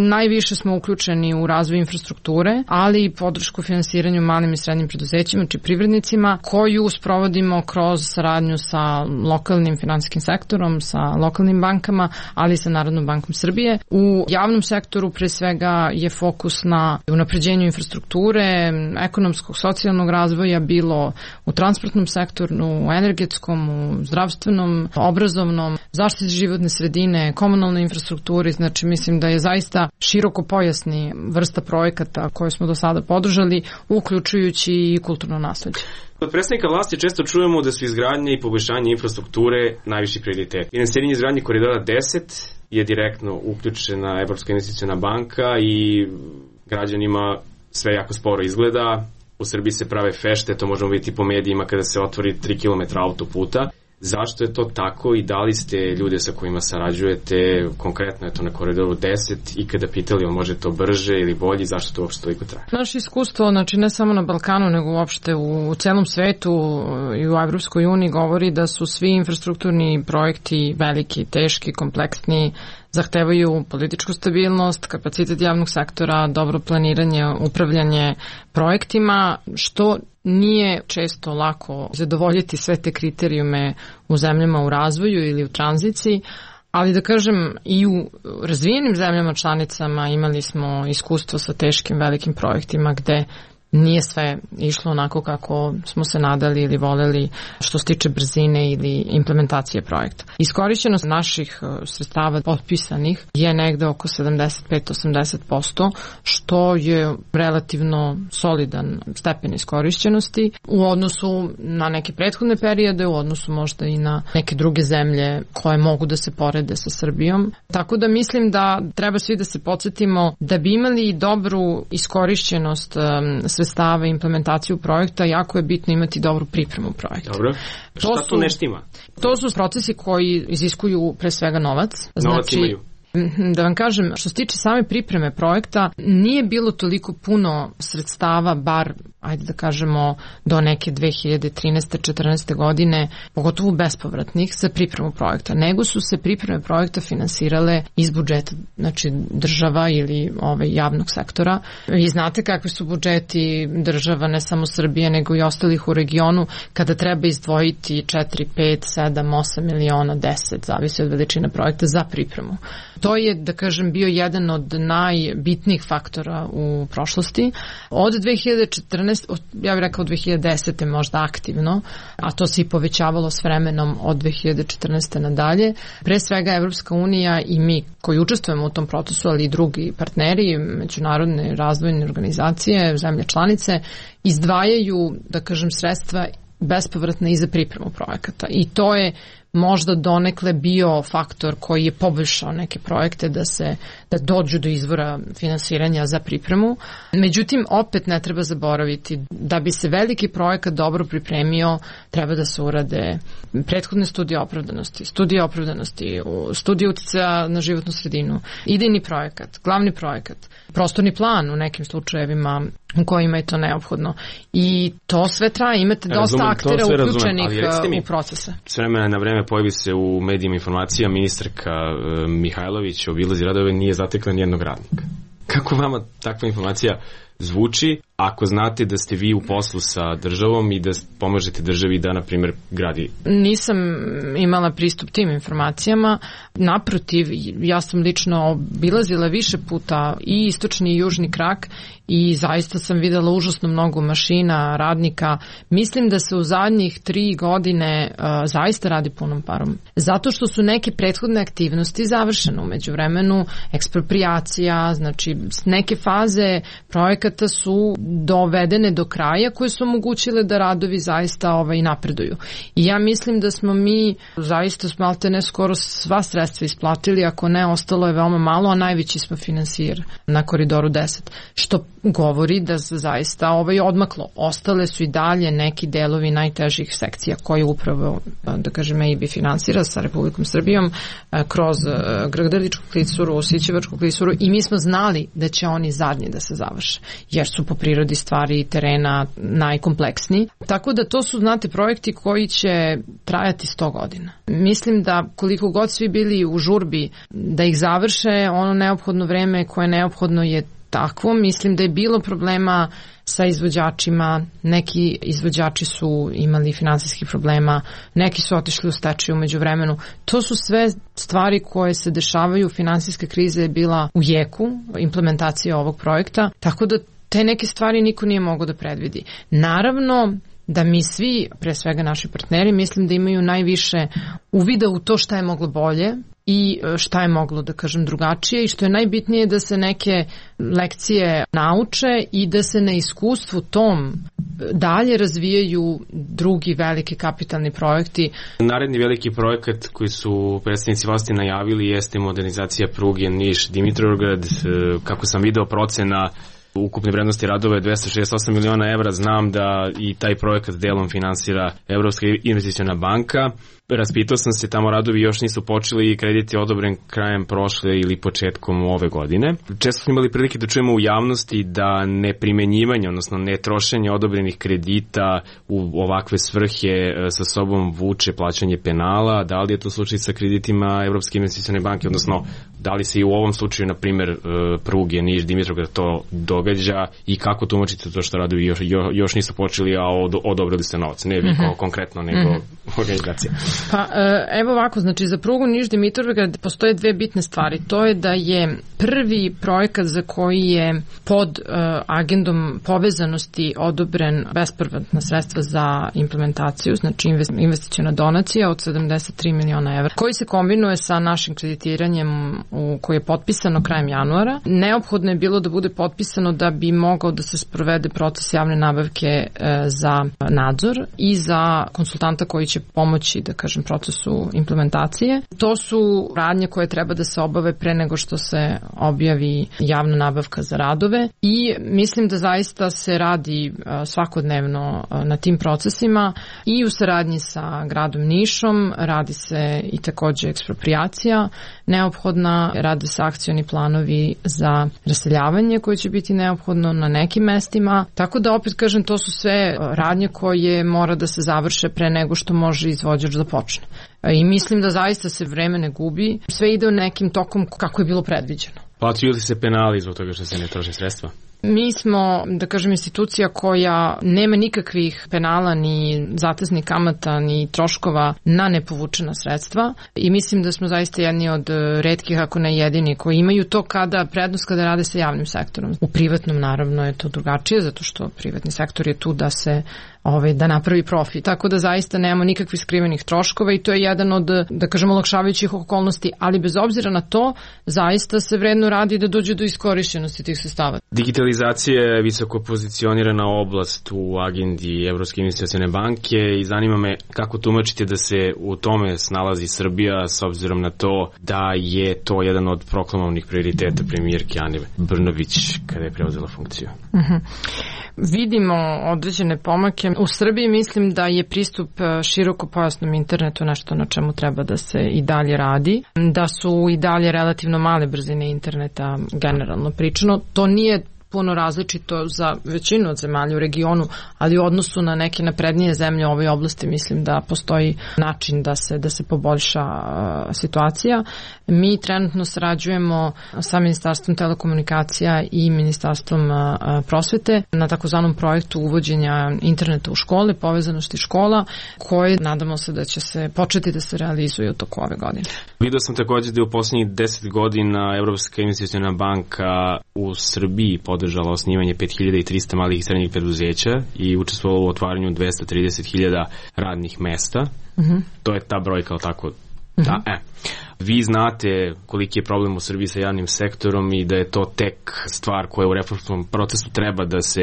Najviše smo uključeni u razvoj infrastrukture, ali i podršku finansiranju malim i srednjim preduzećima, či privrednicima, koju sprovodimo kroz saradnju sa lokalnim finansijskim sektorom, sa lokalnim bankama, ali i sa Narodnom bankom Srbije. U javnom sektoru pre svega je fokus na unapređenju infrastrukture, ekonomskog, socijalnog razvoja, bilo u transportnom sektoru, u energetskom, u zdravstvenom, obrazovnom, zaštiti životne sredine, komunalnoj infrastrukturi. Znači mislim da je zaista široko pojasni vrsta projekata koje smo do sada podržali, uključujući i kulturno nasleđe. Od predstavnika vlasti često čujemo da su izgradnje i poboljšanje infrastrukture najviši prioritet. Finansiranje izgradnje koridora 10 je direktno uključena Evropska investiciona banka i građanima sve jako sporo izgleda. U Srbiji se prave fešte, to možemo vidjeti po medijima kada se otvori 3 km autoputa. Zašto je to tako i da li ste ljude sa kojima sarađujete, konkretno je to na koridoru 10, i kada pitali on može to brže ili bolje, zašto to uopšte toliko traje? Naše iskustvo, znači ne samo na Balkanu, nego uopšte u celom svetu i u Evropskoj uniji govori da su svi infrastrukturni projekti veliki, teški, kompleksni, zahtevaju političku stabilnost, kapacitet javnog sektora, dobro planiranje, upravljanje projektima, što nije često lako zadovoljiti sve te kriterijume u zemljama u razvoju ili u tranziciji, ali da kažem i u razvijenim zemljama članicama imali smo iskustvo sa teškim velikim projektima gde nije sve išlo onako kako smo se nadali ili voleli što se tiče brzine ili implementacije projekta. Iskorišćenost naših sredstava potpisanih je negde oko 75-80%, što je relativno solidan stepen iskorišćenosti u odnosu na neke prethodne periode, u odnosu možda i na neke druge zemlje koje mogu da se porede sa Srbijom. Tako da mislim da treba svi da se podsjetimo da bi imali dobru iskorišćenost sredstava i implementaciju projekta, jako je bitno imati dobru pripremu projekta. Dobro. Šta tu ne štima? To su procesi koji iziskuju pre svega novac. Novac imaju. Da vam kažem, što se tiče same pripreme projekta, nije bilo toliko puno sredstava, bar, ajde da kažemo, do neke 2013-14. godine, pogotovo bespovratnih, za pripremu projekta, nego su se pripreme projekta finansirale iz budžeta, znači država ili javnog sektora. Vi znate kakvi su budžeti država, ne samo Srbije, nego i ostalih u regionu, kada treba izdvojiti 4, 5, 7, 8 miliona, 10, zavisi od veličine projekta, za pripremu. To je, da kažem, bio jedan od najbitnijih faktora u prošlosti. Od 2014, ja bih rekao od 2010. možda aktivno, a to se i povećavalo s vremenom od 2014. nadalje. Pre svega Evropska unija i mi koji učestvujemo u tom procesu, ali i drugi partneri, međunarodne razvojne organizacije, zemlje članice, izdvajaju, da kažem, sredstva bespovratne i za pripremu projekata. I to je možda donekle bio faktor koji je poboljšao neke projekte da dođu do izvora finansiranja za pripremu. Međutim, opet ne treba zaboraviti da bi se veliki projekat dobro pripremio, treba da se urade prethodne studije opravdanosti, studije uticaja na životnu sredinu, idejni projekat, glavni projekat, prostorni plan u nekim slučajevima u kojima je to neophodno. I to sve traje, imate dosta aktera uključenih u procese. S vremena na vreme pojavi se u medijima informacija, ministarka Mihajlović obilazi radove, nije zatekla nijednog radnika. Kako vama takva informacija zvuči ako znate da ste vi u poslu sa državom i da pomažete državi da, na primjer, gradi? Nisam imala pristup tim informacijama. Naprotiv, ja sam lično obilazila više puta i istočni i južni krak i zaista sam videla užasno mnogo mašina, radnika. Mislim da se u zadnjih 3 godine zaista radi punom parom. Zato što su neke prethodne aktivnosti završene. U međuvremenu eksproprijacija, znači neke faze projekata su dovedene do kraja koje su omogućile da radovi zaista napreduju. I ja mislim da smo mi zaista maltene skoro sva sredstva isplatili, ako ne, ostalo je veoma malo, a najveći smo finansijer na Koridoru 10. Što govori da se zaista odmaklo. Ostale su i dalje neki delovi najtežih sekcija koje upravo, da kažem, EIB finansira sa Republikom Srbijom kroz Grdeličku klisuru, Sićevačku klisuru i mi smo znali da će oni zadnji da se završe, jer su po prirodi stvari i terena najkompleksniji. Tako da to su, znate, projekti koji će trajati 100 godina. Mislim da koliko god svi bili u žurbi da ih završe, ono neophodno vreme koje je neophodno je takvo. Mislim da je bilo problema sa izvođačima, neki izvođači su imali finansijskih problema, neki su otišli u stečaj u međuvremenu. To su sve stvari koje se dešavaju, finansijska kriza je bila u jeku implementacije ovog projekta, tako da te neke stvari niko nije mogao da predvidi. Naravno da mi svi, pre svega naši partneri, mislim da imaju najviše uvida u to šta je moglo bolje i šta je moglo, da kažem, drugačije i što je najbitnije da se neke lekcije nauče i da se na iskustvu tom dalje razvijaju drugi veliki kapitalni projekti. Naredni veliki projekat koji su predstavnici vlasti najavili jeste modernizacija pruge Niš-Dimitrovgrad. Kako sam video, procena ukupne vrednosti radova je 268 miliona evra. Znam da i taj projekat delom finansira Evropska investiciona banka. Raspitao sam se, tamo radovi još nisu počeli i kredit je odobren krajem prošle ili početkom ove godine. Često smo imali prilike da čujemo u javnosti da neprimenjivanje, odnosno netrošenje odobrenih kredita u ovakve svrhe sa sobom vuče plaćanje penala. Da li je to slučaj sa kreditima Evropske investicione banke, odnosno da li se i u ovom slučaju, na primjer, pruge Niš-Dimitrovgrad to događa i kako tumačite to što radovi još nisu počeli, a odobrili ste novac? Ne vi konkretno, nego organizacija. Pa evo ovako, znači za prugu Niš-Dimitrovgrad postoje dve bitne stvari. To je da je prvi projekat za koji je pod agendom povezanosti odobren bespovratna sredstva za implementaciju, znači investiciona donacija od 73 miliona evra, koji se kombinuje sa našim kreditiranjem koji je potpisano krajem januara. Neophodno je bilo da bude potpisano da bi mogao da se sprovede proces javne nabavke za nadzor i za konsultanta koji će pomoći, da kažem, procesu implementacije. To su radnje koje treba da se obave pre nego što se objavi javna nabavka za radove i mislim da zaista se radi svakodnevno na tim procesima i u saradnji sa gradom Nišom, radi se i takođe eksproprijacija neophodna, rade se akcioni planovi za raseljavanje koje će biti neophodno na nekim mestima, tako da opet kažem, to su sve radnje koje mora da se završe pre nego što može izvođač da počne. I mislim da zaista se vreme ne gubi, sve ide u nekim tokom kako je bilo predviđeno. Plaćaju li se penali zbog toga što se ne troše sredstva? Mi smo, da kažem, institucija koja nema nikakvih penala, ni zateznih kamata, ni troškova na nepovučena sredstva i mislim da smo zaista jedni od retkih, ako ne jedini, koji imaju to prednost kada rade sa javnim sektorom. U privatnom naravno je to drugačije, zato što privatni sektor je tu da se da napravi profit. Tako da zaista nemamo nikakvih skrivenih troškova i to je jedan od, da kažemo, olakšavajućih okolnosti, ali bez obzira na to, zaista se vredno radi da dođe do iskorišćenosti tih sredstava. Digitalizacija je visoko pozicionirana oblast u agendi Evropske investicione banke i zanima me kako tumačite da se u tome snalazi Srbija s obzirom na to da je to jedan od proklamovnih prioriteta premijerke Ane Brnabić kada je preuzela funkciju. Vidimo određene pomake. U Srbiji mislim da je pristup širokopojasnom internetu nešto na čemu treba da se i dalje radi, da su i dalje relativno male brzine interneta generalno pričano. To nije puno različito za većinu od zemalja u regionu, ali u odnosu na neke naprednije zemlje u ovoj oblasti mislim da postoji način da se poboljša situacija. Mi trenutno sarađujemo sa Ministarstvom telekomunikacija i Ministarstvom prosvete na takozvanom projektu uvođenja interneta u škole, povezanosti škola, koje nadamo se da će se početi da se realizuje u toku ove godine. Vidio sam također da je u poslednjih 10 godina Evropska investiciona banka u Srbiji podržala osnivanje 5300 malih i srednjih preduzeća i učestvovala u otvaranju 230.000 radnih mesta. To je ta brojka, ali tako? Vi znate koliki je problem u Srbiji sa javnim sektorom i da je to tek stvar koja u reformskom procesu treba da se,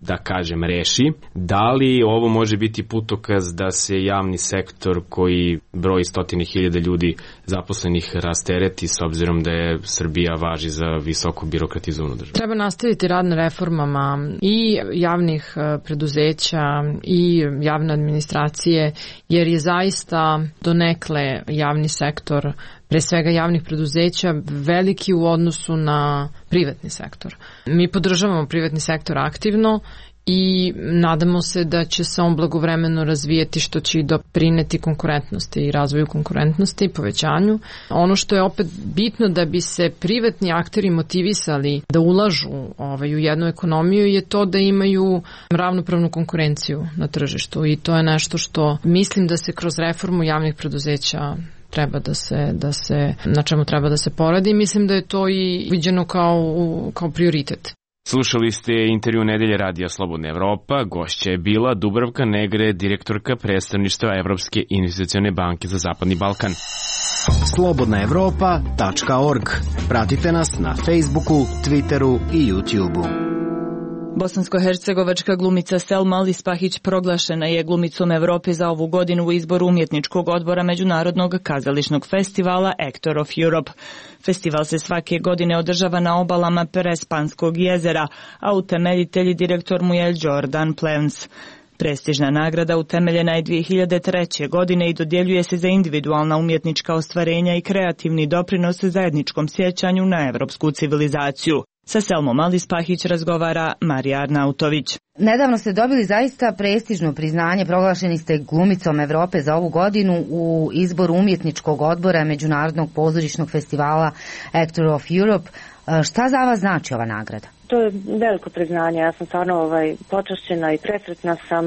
da kažem, reši. Da li ovo može biti putokaz da se javni sektor koji broji 100.000 ljudi zaposlenih rastereti s obzirom da je Srbija važi za visoko birokratizovanu državu? Treba nastaviti rad na reformama i javnih preduzeća i javne administracije, jer je zaista donekle javni sektor, pre svega javnih preduzeća, veliki u odnosu na privatni sektor. Mi podržavamo privatni sektor aktivno i nadamo se da će se on blagovremeno razvijeti, što će i doprineti konkurentnosti i razvoju konkurentnosti i povećanju. Ono što je opet bitno da bi se privatni akteri motivisali da ulažu u jednu ekonomiju je to da imaju ravnopravnu konkurenciju na tržištu i to je nešto što mislim da se kroz reformu javnih preduzeća treba na čemu treba da se poradi. Mislim da je to i viđeno kao prioritet. Slušali ste intervju Nedelje radija Slobodna Evropa. Gošća je bila Dubravka Negre, direktorka predstavništva Evropske investicione banke za Zapadni Balkan. slobodnaevropa.org. Pratite nas na Facebooku, Twitteru i YouTubeu. Bosansko-hercegovačka glumica Selma Alispahić proglašena je glumicom Evrope za ovu godinu u izboru umjetničkog odbora Međunarodnog kazališnog festivala Actor of Europe. Festival se svake godine održava na obalama Perespanskog jezera, a utemeljitelj i direktor mu je Jordan Plevns. Prestižna nagrada utemeljena je 2003. godine i dodjeljuje se za individualna umjetnička ostvarenja i kreativni doprinos zajedničkom sjećanju na evropsku civilizaciju. Sa Selmom Alispahić razgovara Marija Arnautović. Nedavno ste dobili zaista prestižno priznanje, proglašeni ste glumicom Evrope za ovu godinu u izboru umjetničkog odbora Međunarodnog pozorišnog festivala Actor of Europe. Šta za vas znači ova nagrada? To je veliko priznanje, ja sam stvarno počašćena i presretna sam,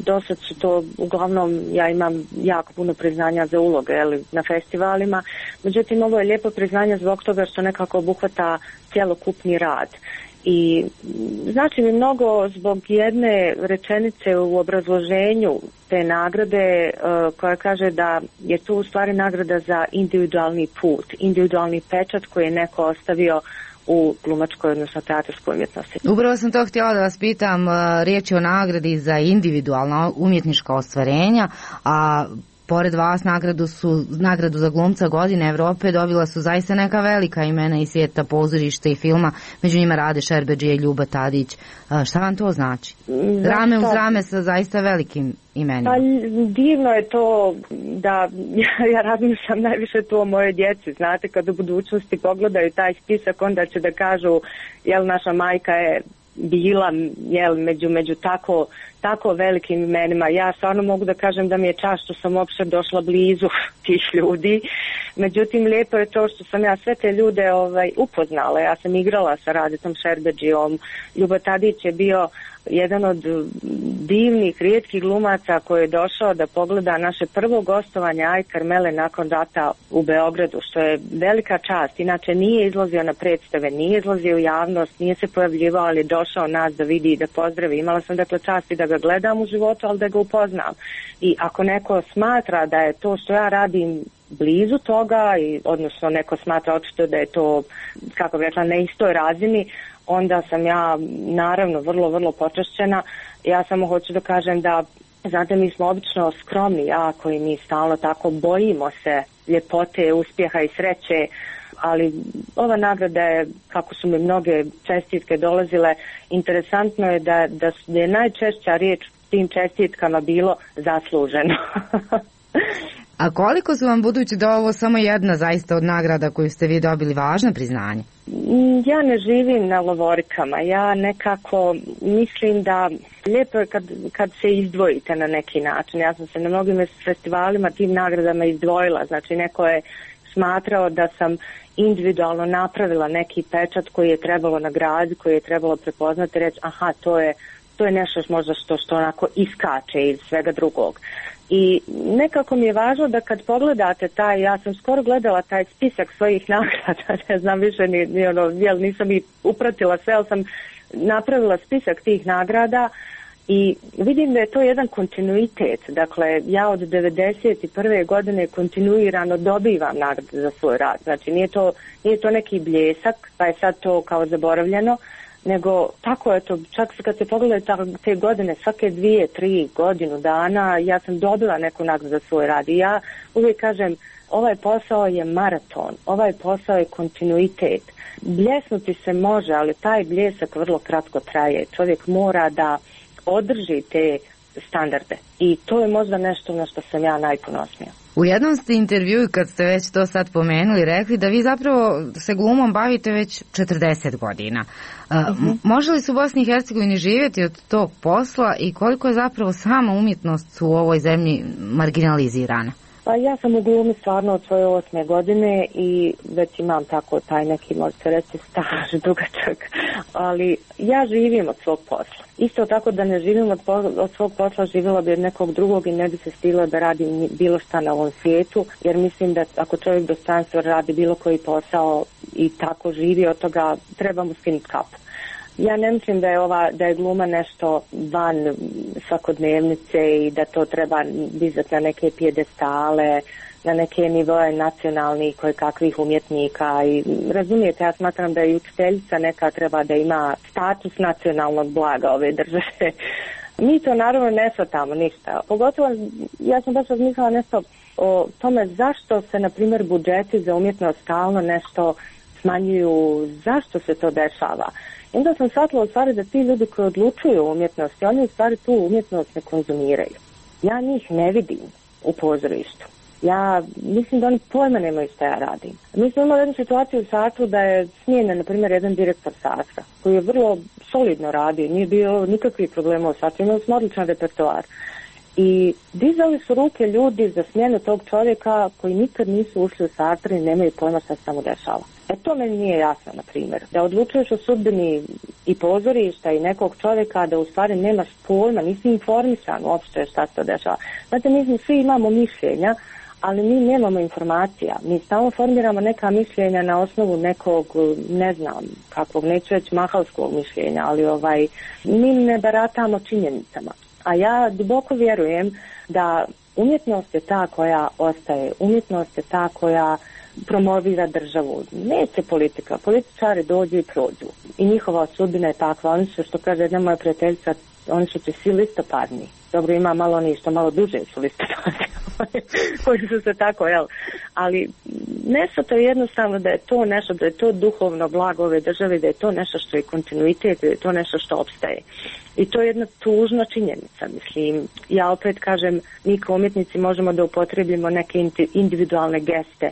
dosad su to, uglavnom ja imam jako puno priznanja za uloge na festivalima, međutim ovo je lijepo priznanje zbog toga što nekako obuhvata cjelokupni rad. I znači mi mnogo zbog jedne rečenice u obrazloženju te nagrade koja kaže da je tu u stvari nagrada za individualni put, individualni pečat koji je neko ostavio u glumačkoj, odnosno teatarskoj umjetnosti. Upravo sam to htjela da vas pitam, riječ je o nagradi za individualna umjetnička ostvarenja, a pored vas nagradu za glumca godine Evrope dobila su zaista neka velika imena iz svijeta pozorišta i filma, među njima Rade Šerbedžija i Ljuba Tadić. Šta vam to znači? Rame uz rame sa zaista velikim imenima. Pa divno je to da ja razmišljam najviše to o moje djeci. Znate, kad u budućnosti pogledaju taj spisak, onda će da kažu, jel naša majka je bila među tako velikim imenima. Ja stvarno mogu da kažem da mi je čast što sam uopšte došla blizu tih ljudi. Međutim, lijepo je to što sam ja sve te ljude upoznala. Ja sam igrala sa Radetom Šerbedžijom. Ljuba Tadić je bio jedan od divnih, rijetkih glumaca koji je došao da pogleda naše prvo gostovanje Aj Karmele nakon rata u Beogradu, što je velika čast. Inače nije izlazio na predstave, nije izlazio u javnost, nije se pojavljivao, ali je došao nas da vidi i da pozdravi. Imala sam dakle čast i da ga gledam u životu, ali da ga upoznam. I ako neko smatra da je to što ja radim blizu toga, odnosno neko smatra očito da je to, kako bih rekla, na istoj razini, onda sam ja naravno vrlo počašćena. Ja samo hoću da kažem da, znate, mi smo obično skromni jako i mi stalno tako bojimo se ljepote, uspjeha i sreće, ali ova nagrada je, kako su mi mnoge čestitke dolazile, interesantno je da je najčešća riječ tim čestitkama bilo zasluženo. A koliko su vam, budući da ovo samo jedna zaista od nagrada koju ste vi dobili, važna priznanje? Ja ne živim na lovorikama, ja nekako mislim da lijepo je kad se izdvojite na neki način. Ja sam se na mnogim festivalima tim nagradama izdvojila, znači neko je smatrao da sam individualno napravila neki pečat koji je trebalo nagraditi, koji je trebalo prepoznati i reći aha, to je nešto možda što onako iskače iz svega drugog. I nekako mi je važno da kad pogledate ja sam skoro gledala taj spisak svojih nagrada, ne znam više nisam i upratila sve, ali sam napravila spisak tih nagrada i vidim da je to jedan kontinuitet. Dakle, ja od 1991. godine kontinuirano dobivam nagrade za svoj rad. Znači, nije to neki bljesak, pa je sad to kao zaboravljeno, nego tako je to, čak kad se pogledaju te godine, svake 2-3 godinu dana, ja sam dobila neku nagradu za svoj rad i ja uvijek kažem, ovaj posao je maraton, ovaj posao je kontinuitet. Bljesnuti se može, ali taj bljesak vrlo kratko traje. Čovjek mora da održi te standarde i to je možda nešto na što sam ja najponosnija. U jednom ste intervjuu, kad ste već to sad pomenuli, rekli da vi zapravo se glumom bavite već 40 godina. Može li se u Bosni i Hercegovini živjeti od tog posla i koliko je zapravo sama umjetnost u ovoj zemlji marginalizirana? Pa ja sam u glumi stvarno od svoje 8. godine i već imam tako taj neki, možete reći, staž dugačak, ali ja živim od svog posla. Isto tako da ne živim od svog posla, živjela bi od nekog drugog i ne bi se stila da radim bilo šta na ovom svijetu, jer mislim da ako čovjek dostojanstveno radi bilo koji posao i tako živi od toga, treba mu skinuti kapu. Ja ne mislim da je gluma nešto van svakodnevnice i da to treba dizati na neke pijedestale, na neke nivoe nacionalnih kakvih umjetnika i razumijete, ja smatram da i učiteljica neka treba da ima status nacionalnog blaga ove države. Mi to naravno ne shvatamo ništa. Pogotovo, ja sam baš razmišljala nešto o tome zašto se, na primjer, budžeti za umjetnost stalno nešto smanjuju, zašto se to dešava. I onda sam shvatila u stvari da ti ljudi koji odlučuju o umjetnosti, oni u stvari tu umjetnost ne konzumiraju. Ja njih ne vidim u pozorištu. Ja mislim da oni pojma nemaju što ja radim. Mi smo imali jednu situaciju u Satru da je smijenjen, na primjer, jedan direktor Satra koji je vrlo solidno radio, nije bio nikakvih problema u Satru, imali smo odličan repertoar. I dizali su ruke ljudi za smjenu tog čovjeka koji nikad nisu ušli u Satru i nemaju pojma što se tamo dešava. To meni nije jasno, na primjer. Da odlučuješ o sudbini i pozorišta i nekog čovjeka, da u stvari nemaš pojma, nisi informisan uopšte šta se to dešava. Znate, mi svi imamo mišljenja, ali mi nemamo informacija. Mi stalno formiramo neka mišljenja na osnovu nekog, ne znam, kakvog, neću reći mahalskog mišljenja, ali mi ne baratamo činjenicama. A ja duboko vjerujem da umjetnost je ta koja ostaje, umjetnost je ta koja promovira državu. Neće politika, političari dođu i prođu. I njihova sudbina je takva. Oni su, što kaže jedna moja prijateljica, oni su ti svi listopadni. Dobro, ima malo oni što malo duže su listopadni, koji su se tako, ali nešto to je jednostavno da je to nešto, da je to duhovno blago ove države, da je to nešto što je kontinuitet, da je to nešto što opstaje. I to je jedna tužna činjenica, mislim. Ja opet kažem, mi kao umjetnici možemo da upotrebimo neke individualne geste.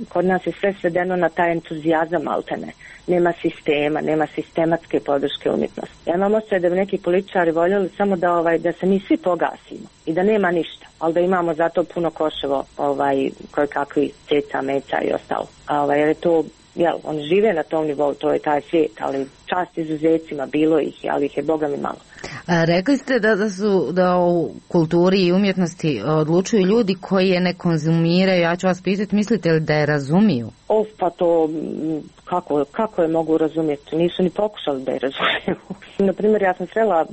Kod nas je sve svedeno na taj entuzijazam maltene. Nema sistema, nema sistematske podrške umjetnosti. Ja imam osjećaj da bi neki političari voljeli samo da se mi svi pogasimo i da nema ništa, ali da imamo zato puno koševo koje kakvi ceca, meća i ostalo. Jer je to, oni žive na tom nivou, to je taj svijet, ali čast izuzecima, bilo ih, ali ih je Boga mi malo. Rekli ste da u kulturi i umjetnosti odlučuju ljudi koji je ne konzumiraju. Ja ću vas pitati, mislite li da je razumiju? Pa to kako je mogu razumjeti? Nisu ni pokušali da je razumiju. Naprimjer, ja sam srela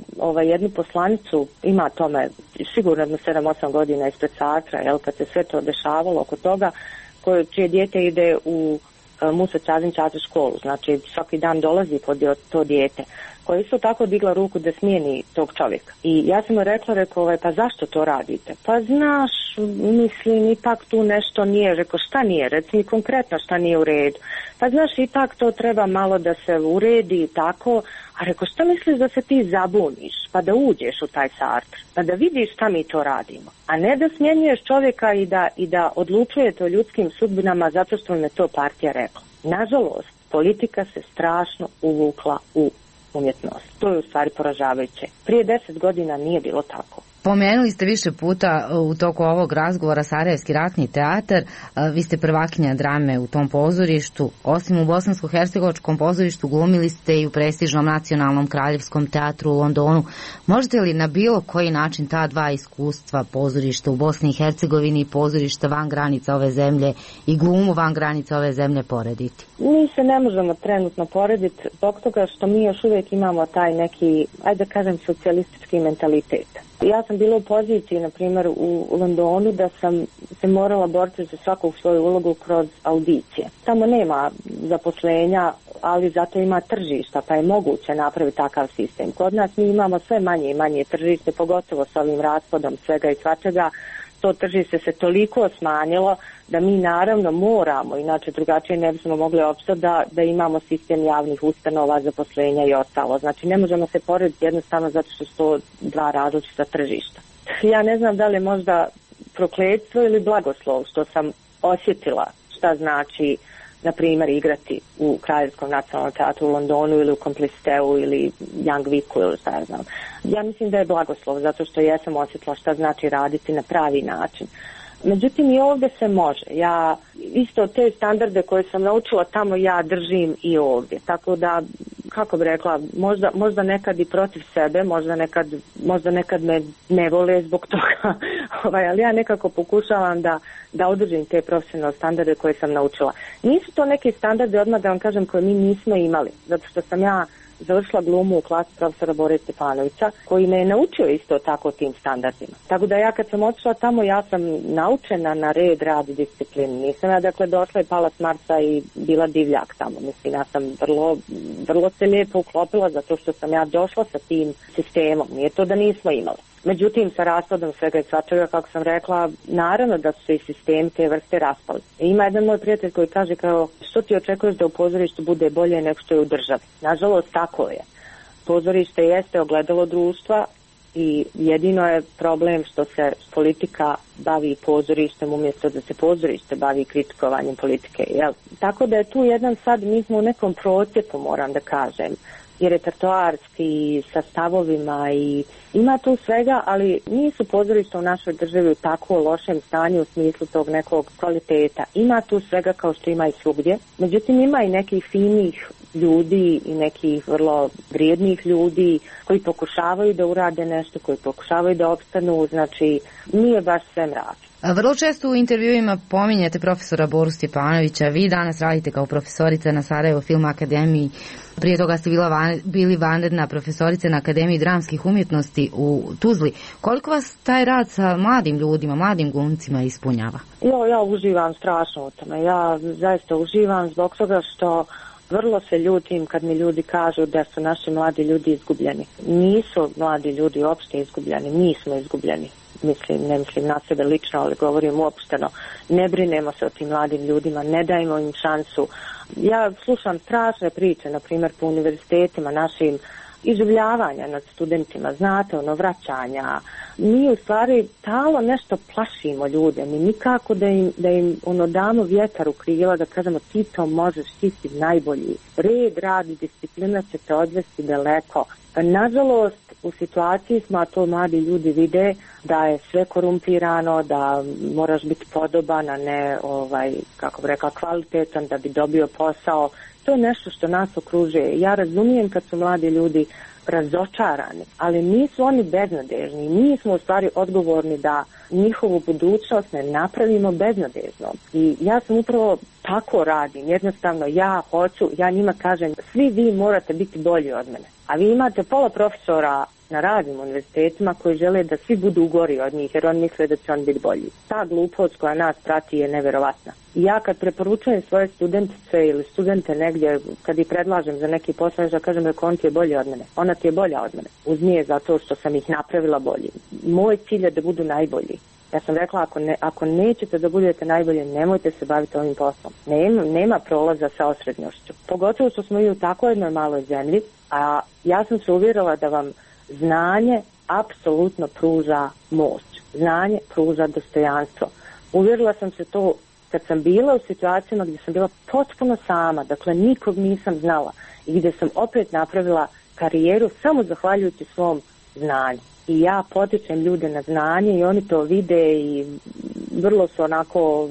jednu poslanicu, ima tome sigurno 7-8 godina ispred Sartra, kad se sve to dešavalo oko toga, čije dijete ide u Musa Čazin Čaza školu, znači svaki dan dolazi to dijete, koja isto tako digla ruku da smijeni tog čovjeka. I ja sam mu rekla, pa zašto to radite? Pa znaš, mislim, ipak tu nešto nije. Rekao, šta nije? Reci mi konkretno šta nije u redu. Pa znaš, ipak to treba malo da se uredi i tako. A rekao, šta misliš da se ti zabuniš, pa da uđeš u taj Sartre, pa da vidiš šta mi to radimo, a ne da smjenjuješ čovjeka i da odlučujete o ljudskim sudbinama zato što me to partija rekla. Nažalost, politika se strašno uvukla u umjetnost. To je u stvari poražavajuće. Prije 10 godina nije bilo tako. Pomenuli ste više puta u toku ovog razgovora Sarajevski ratni teatar, vi ste prvakinja drame u tom pozorištu, osim u Bosansko-hercegovačkom pozorištu glumili ste i u prestižnom Nacionalnom kraljevskom teatru u Londonu. Možete li na bilo koji način ta dva iskustva, pozorišta u Bosni i Hercegovini i pozorišta van granica ove zemlje i glumu van granica ove zemlje porediti? Mi se ne možemo trenutno porediti zbog toga što mi još uvijek imamo taj neki, ajde da kažem, socijalistički mentalitet. Ja sam bila u poziciji, na primjer, u Londonu da sam se morala boriti za svaku svoju ulogu kroz audicije. Tamo nema zaposlenja, ali zato ima tržišta, pa je moguće napraviti takav sistem. Kod nas mi imamo sve manje i manje tržište, pogotovo s ovim raspadom svega i svačega. To tržište se toliko smanjilo da mi naravno moramo, inače drugačije ne bismo mogli opstati da imamo sistem javnih ustanova, zaposlenja i ostalo. Znači ne možemo se porediti jednostavno zato što su to dva različita tržišta. Ja ne znam da li je možda prokletstvo ili blagoslov što sam osjetila šta znači, na primjer, igrati u Kraljevskom nacionalnom teatru u Londonu ili u Compliciteu ili Young Vicku ili šta ja znam. Ja mislim da je blagoslov zato što jesam osjetila šta znači raditi na pravi način. Međutim, i ovdje se može. Ja isto te standarde koje sam naučila tamo ja držim i ovdje. Tako da, kako bi rekla, možda nekad i protiv sebe, možda nekad me ne vole zbog toga, ali ja nekako pokušavam da održim te profesionalne standarde koje sam naučila. Nisu to neki standarde, odmah da vam kažem, koje mi nismo imali, zato što sam ja završila glumu u klasi profesora Bore Stefanovića, koji me je naučio isto tako tim standardima. Tako da ja kad sam otišla tamo, ja sam naučena na red, rad i disciplinu. Nisam ja dakle došla i pala s Marsa i bila divljak tamo. Mislim, ja sam vrlo se lijepo uklopila zato što sam ja došla sa tim sistemom. Nije to da nismo imali. Međutim, sa raspadom svega i svačega, kako sam rekla, naravno da su se i sistemi te vrste raspali. Ima jedan moj prijatelj koji kaže kao, što ti očekuješ da u pozorištu bude bolje nego što je u državi? Nažalost, tako je. Pozorište jeste ogledalo društva i jedino je problem što se politika bavi pozorištem umjesto da se pozorište bavi kritikovanjem politike. Jel? Tako da je tu jedan sad, mi smo u nekom procjepu, moram da kažem, i repertoarski, sa stavovima i ima tu svega, ali nisu pozorišta u našoj državi u tako lošem stanju u smislu tog nekog kvaliteta. Ima tu svega kao što ima i svugdje, međutim ima i nekih finih ljudi i nekih vrlo vrijednih ljudi koji pokušavaju da urade nešto, koji pokušavaju da opstanu, znači nije baš sve mračno. Vrlo često u intervjuima pominjete profesora Boru Stjepanovića, vi danas radite kao profesorica na Sarajevo Film Akademiji, prije toga ste bili vanredna profesorica na Akademiji dramskih umjetnosti u Tuzli. Koliko vas taj rad sa mladim ljudima, mladim glumcima ispunjava? Ja uživam strašno u tome, ja zaista uživam zbog toga što vrlo se ljutim kad mi ljudi kažu da su naši mladi ljudi izgubljeni. Nisu mladi ljudi uopšte izgubljeni, mi smo izgubljeni. Ne mislim na sebe lično, ali govorim uopšteno. Ne brinemo se o tim mladim ljudima, ne dajemo im šansu. Ja slušam strašne priče, na primjer po univerzitetima našim, iživljavanja nad studentima, znate, vraćanja. Mi u stvari talo nešto plašimo ljude, mi nikako da im damo vjetar u krila, da kažemo ti to možeš, ti si najbolji. Red, rad i disciplina će te odvesti daleko. Nažalost, u situaciji smo, a to mladi ljudi vide, da je sve korumpirano, da moraš biti podoban, a ne, kako bi rekla, kvalitetan da bi dobio posao. To je nešto što nas okružuje. Ja razumijem kad su mladi ljudi razočarani, ali nisu oni beznadežni. Mi smo u stvari odgovorni da njihovu budućnost ne napravimo beznadežnom. I ja sam upravo tako radim. Jednostavno ja njima kažem, svi vi morate biti bolji od mene. A vi imate pola profesora na raznim univerzitetima koji žele da svi budu gori od njih jer oni misle da će on biti bolji. Ta glupost koja nas prati je neverovatna. I ja kad preporučujem svoje studentice ili studente negdje, kad ih predlažem za neki posao, ja kažem da on ti je bolji od mene. Ona ti je bolja od mene. Uz nje zato što sam ih napravila bolji. Moj cilj je da budu najbolji. Ja sam rekla, ako nećete da budete najbolji, nemojte se baviti ovim poslom. Nema prolaza sa osrednjošću. Pogotovo što smo i u tako jednoj maloj zemlji, a ja sam se uvjerila da vam znanje apsolutno pruža moć. Znanje pruža dostojanstvo. Uvjerila sam se to kad sam bila u situacijama gdje sam bila potpuno sama, dakle nikog nisam znala i gdje sam opet napravila karijeru samo zahvaljujući svom znanju. I ja potičem ljude na znanje i oni to vide i vrlo su onako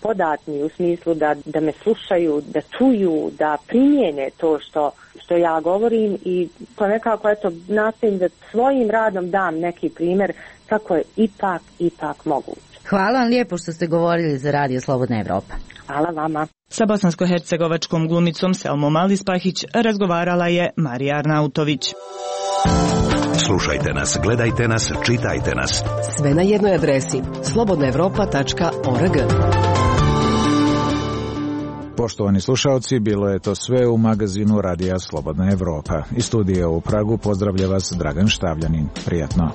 podatni u smislu da me slušaju, da čuju, da primijene to što ja govorim i to nekako nastojim da svojim radom dam neki primjer kako je ipak moguće. Hvala vam lijepo što ste govorili za Radio Slobodna Evropa. Hvala vama. Sa bosansko-hercegovačkom glumicom Selmom Alispahić razgovarala je Marija Arnautović. Slušajte nas, gledajte nas, čitajte nas. Sve na jednoj adresi slobodnaevropa.org. Poštovani slušalci, bilo je to sve u magazinu Radija Slobodna Evropa. Iz studija u Pragu pozdravlja vas Dragan Štavljanin. Prijatno.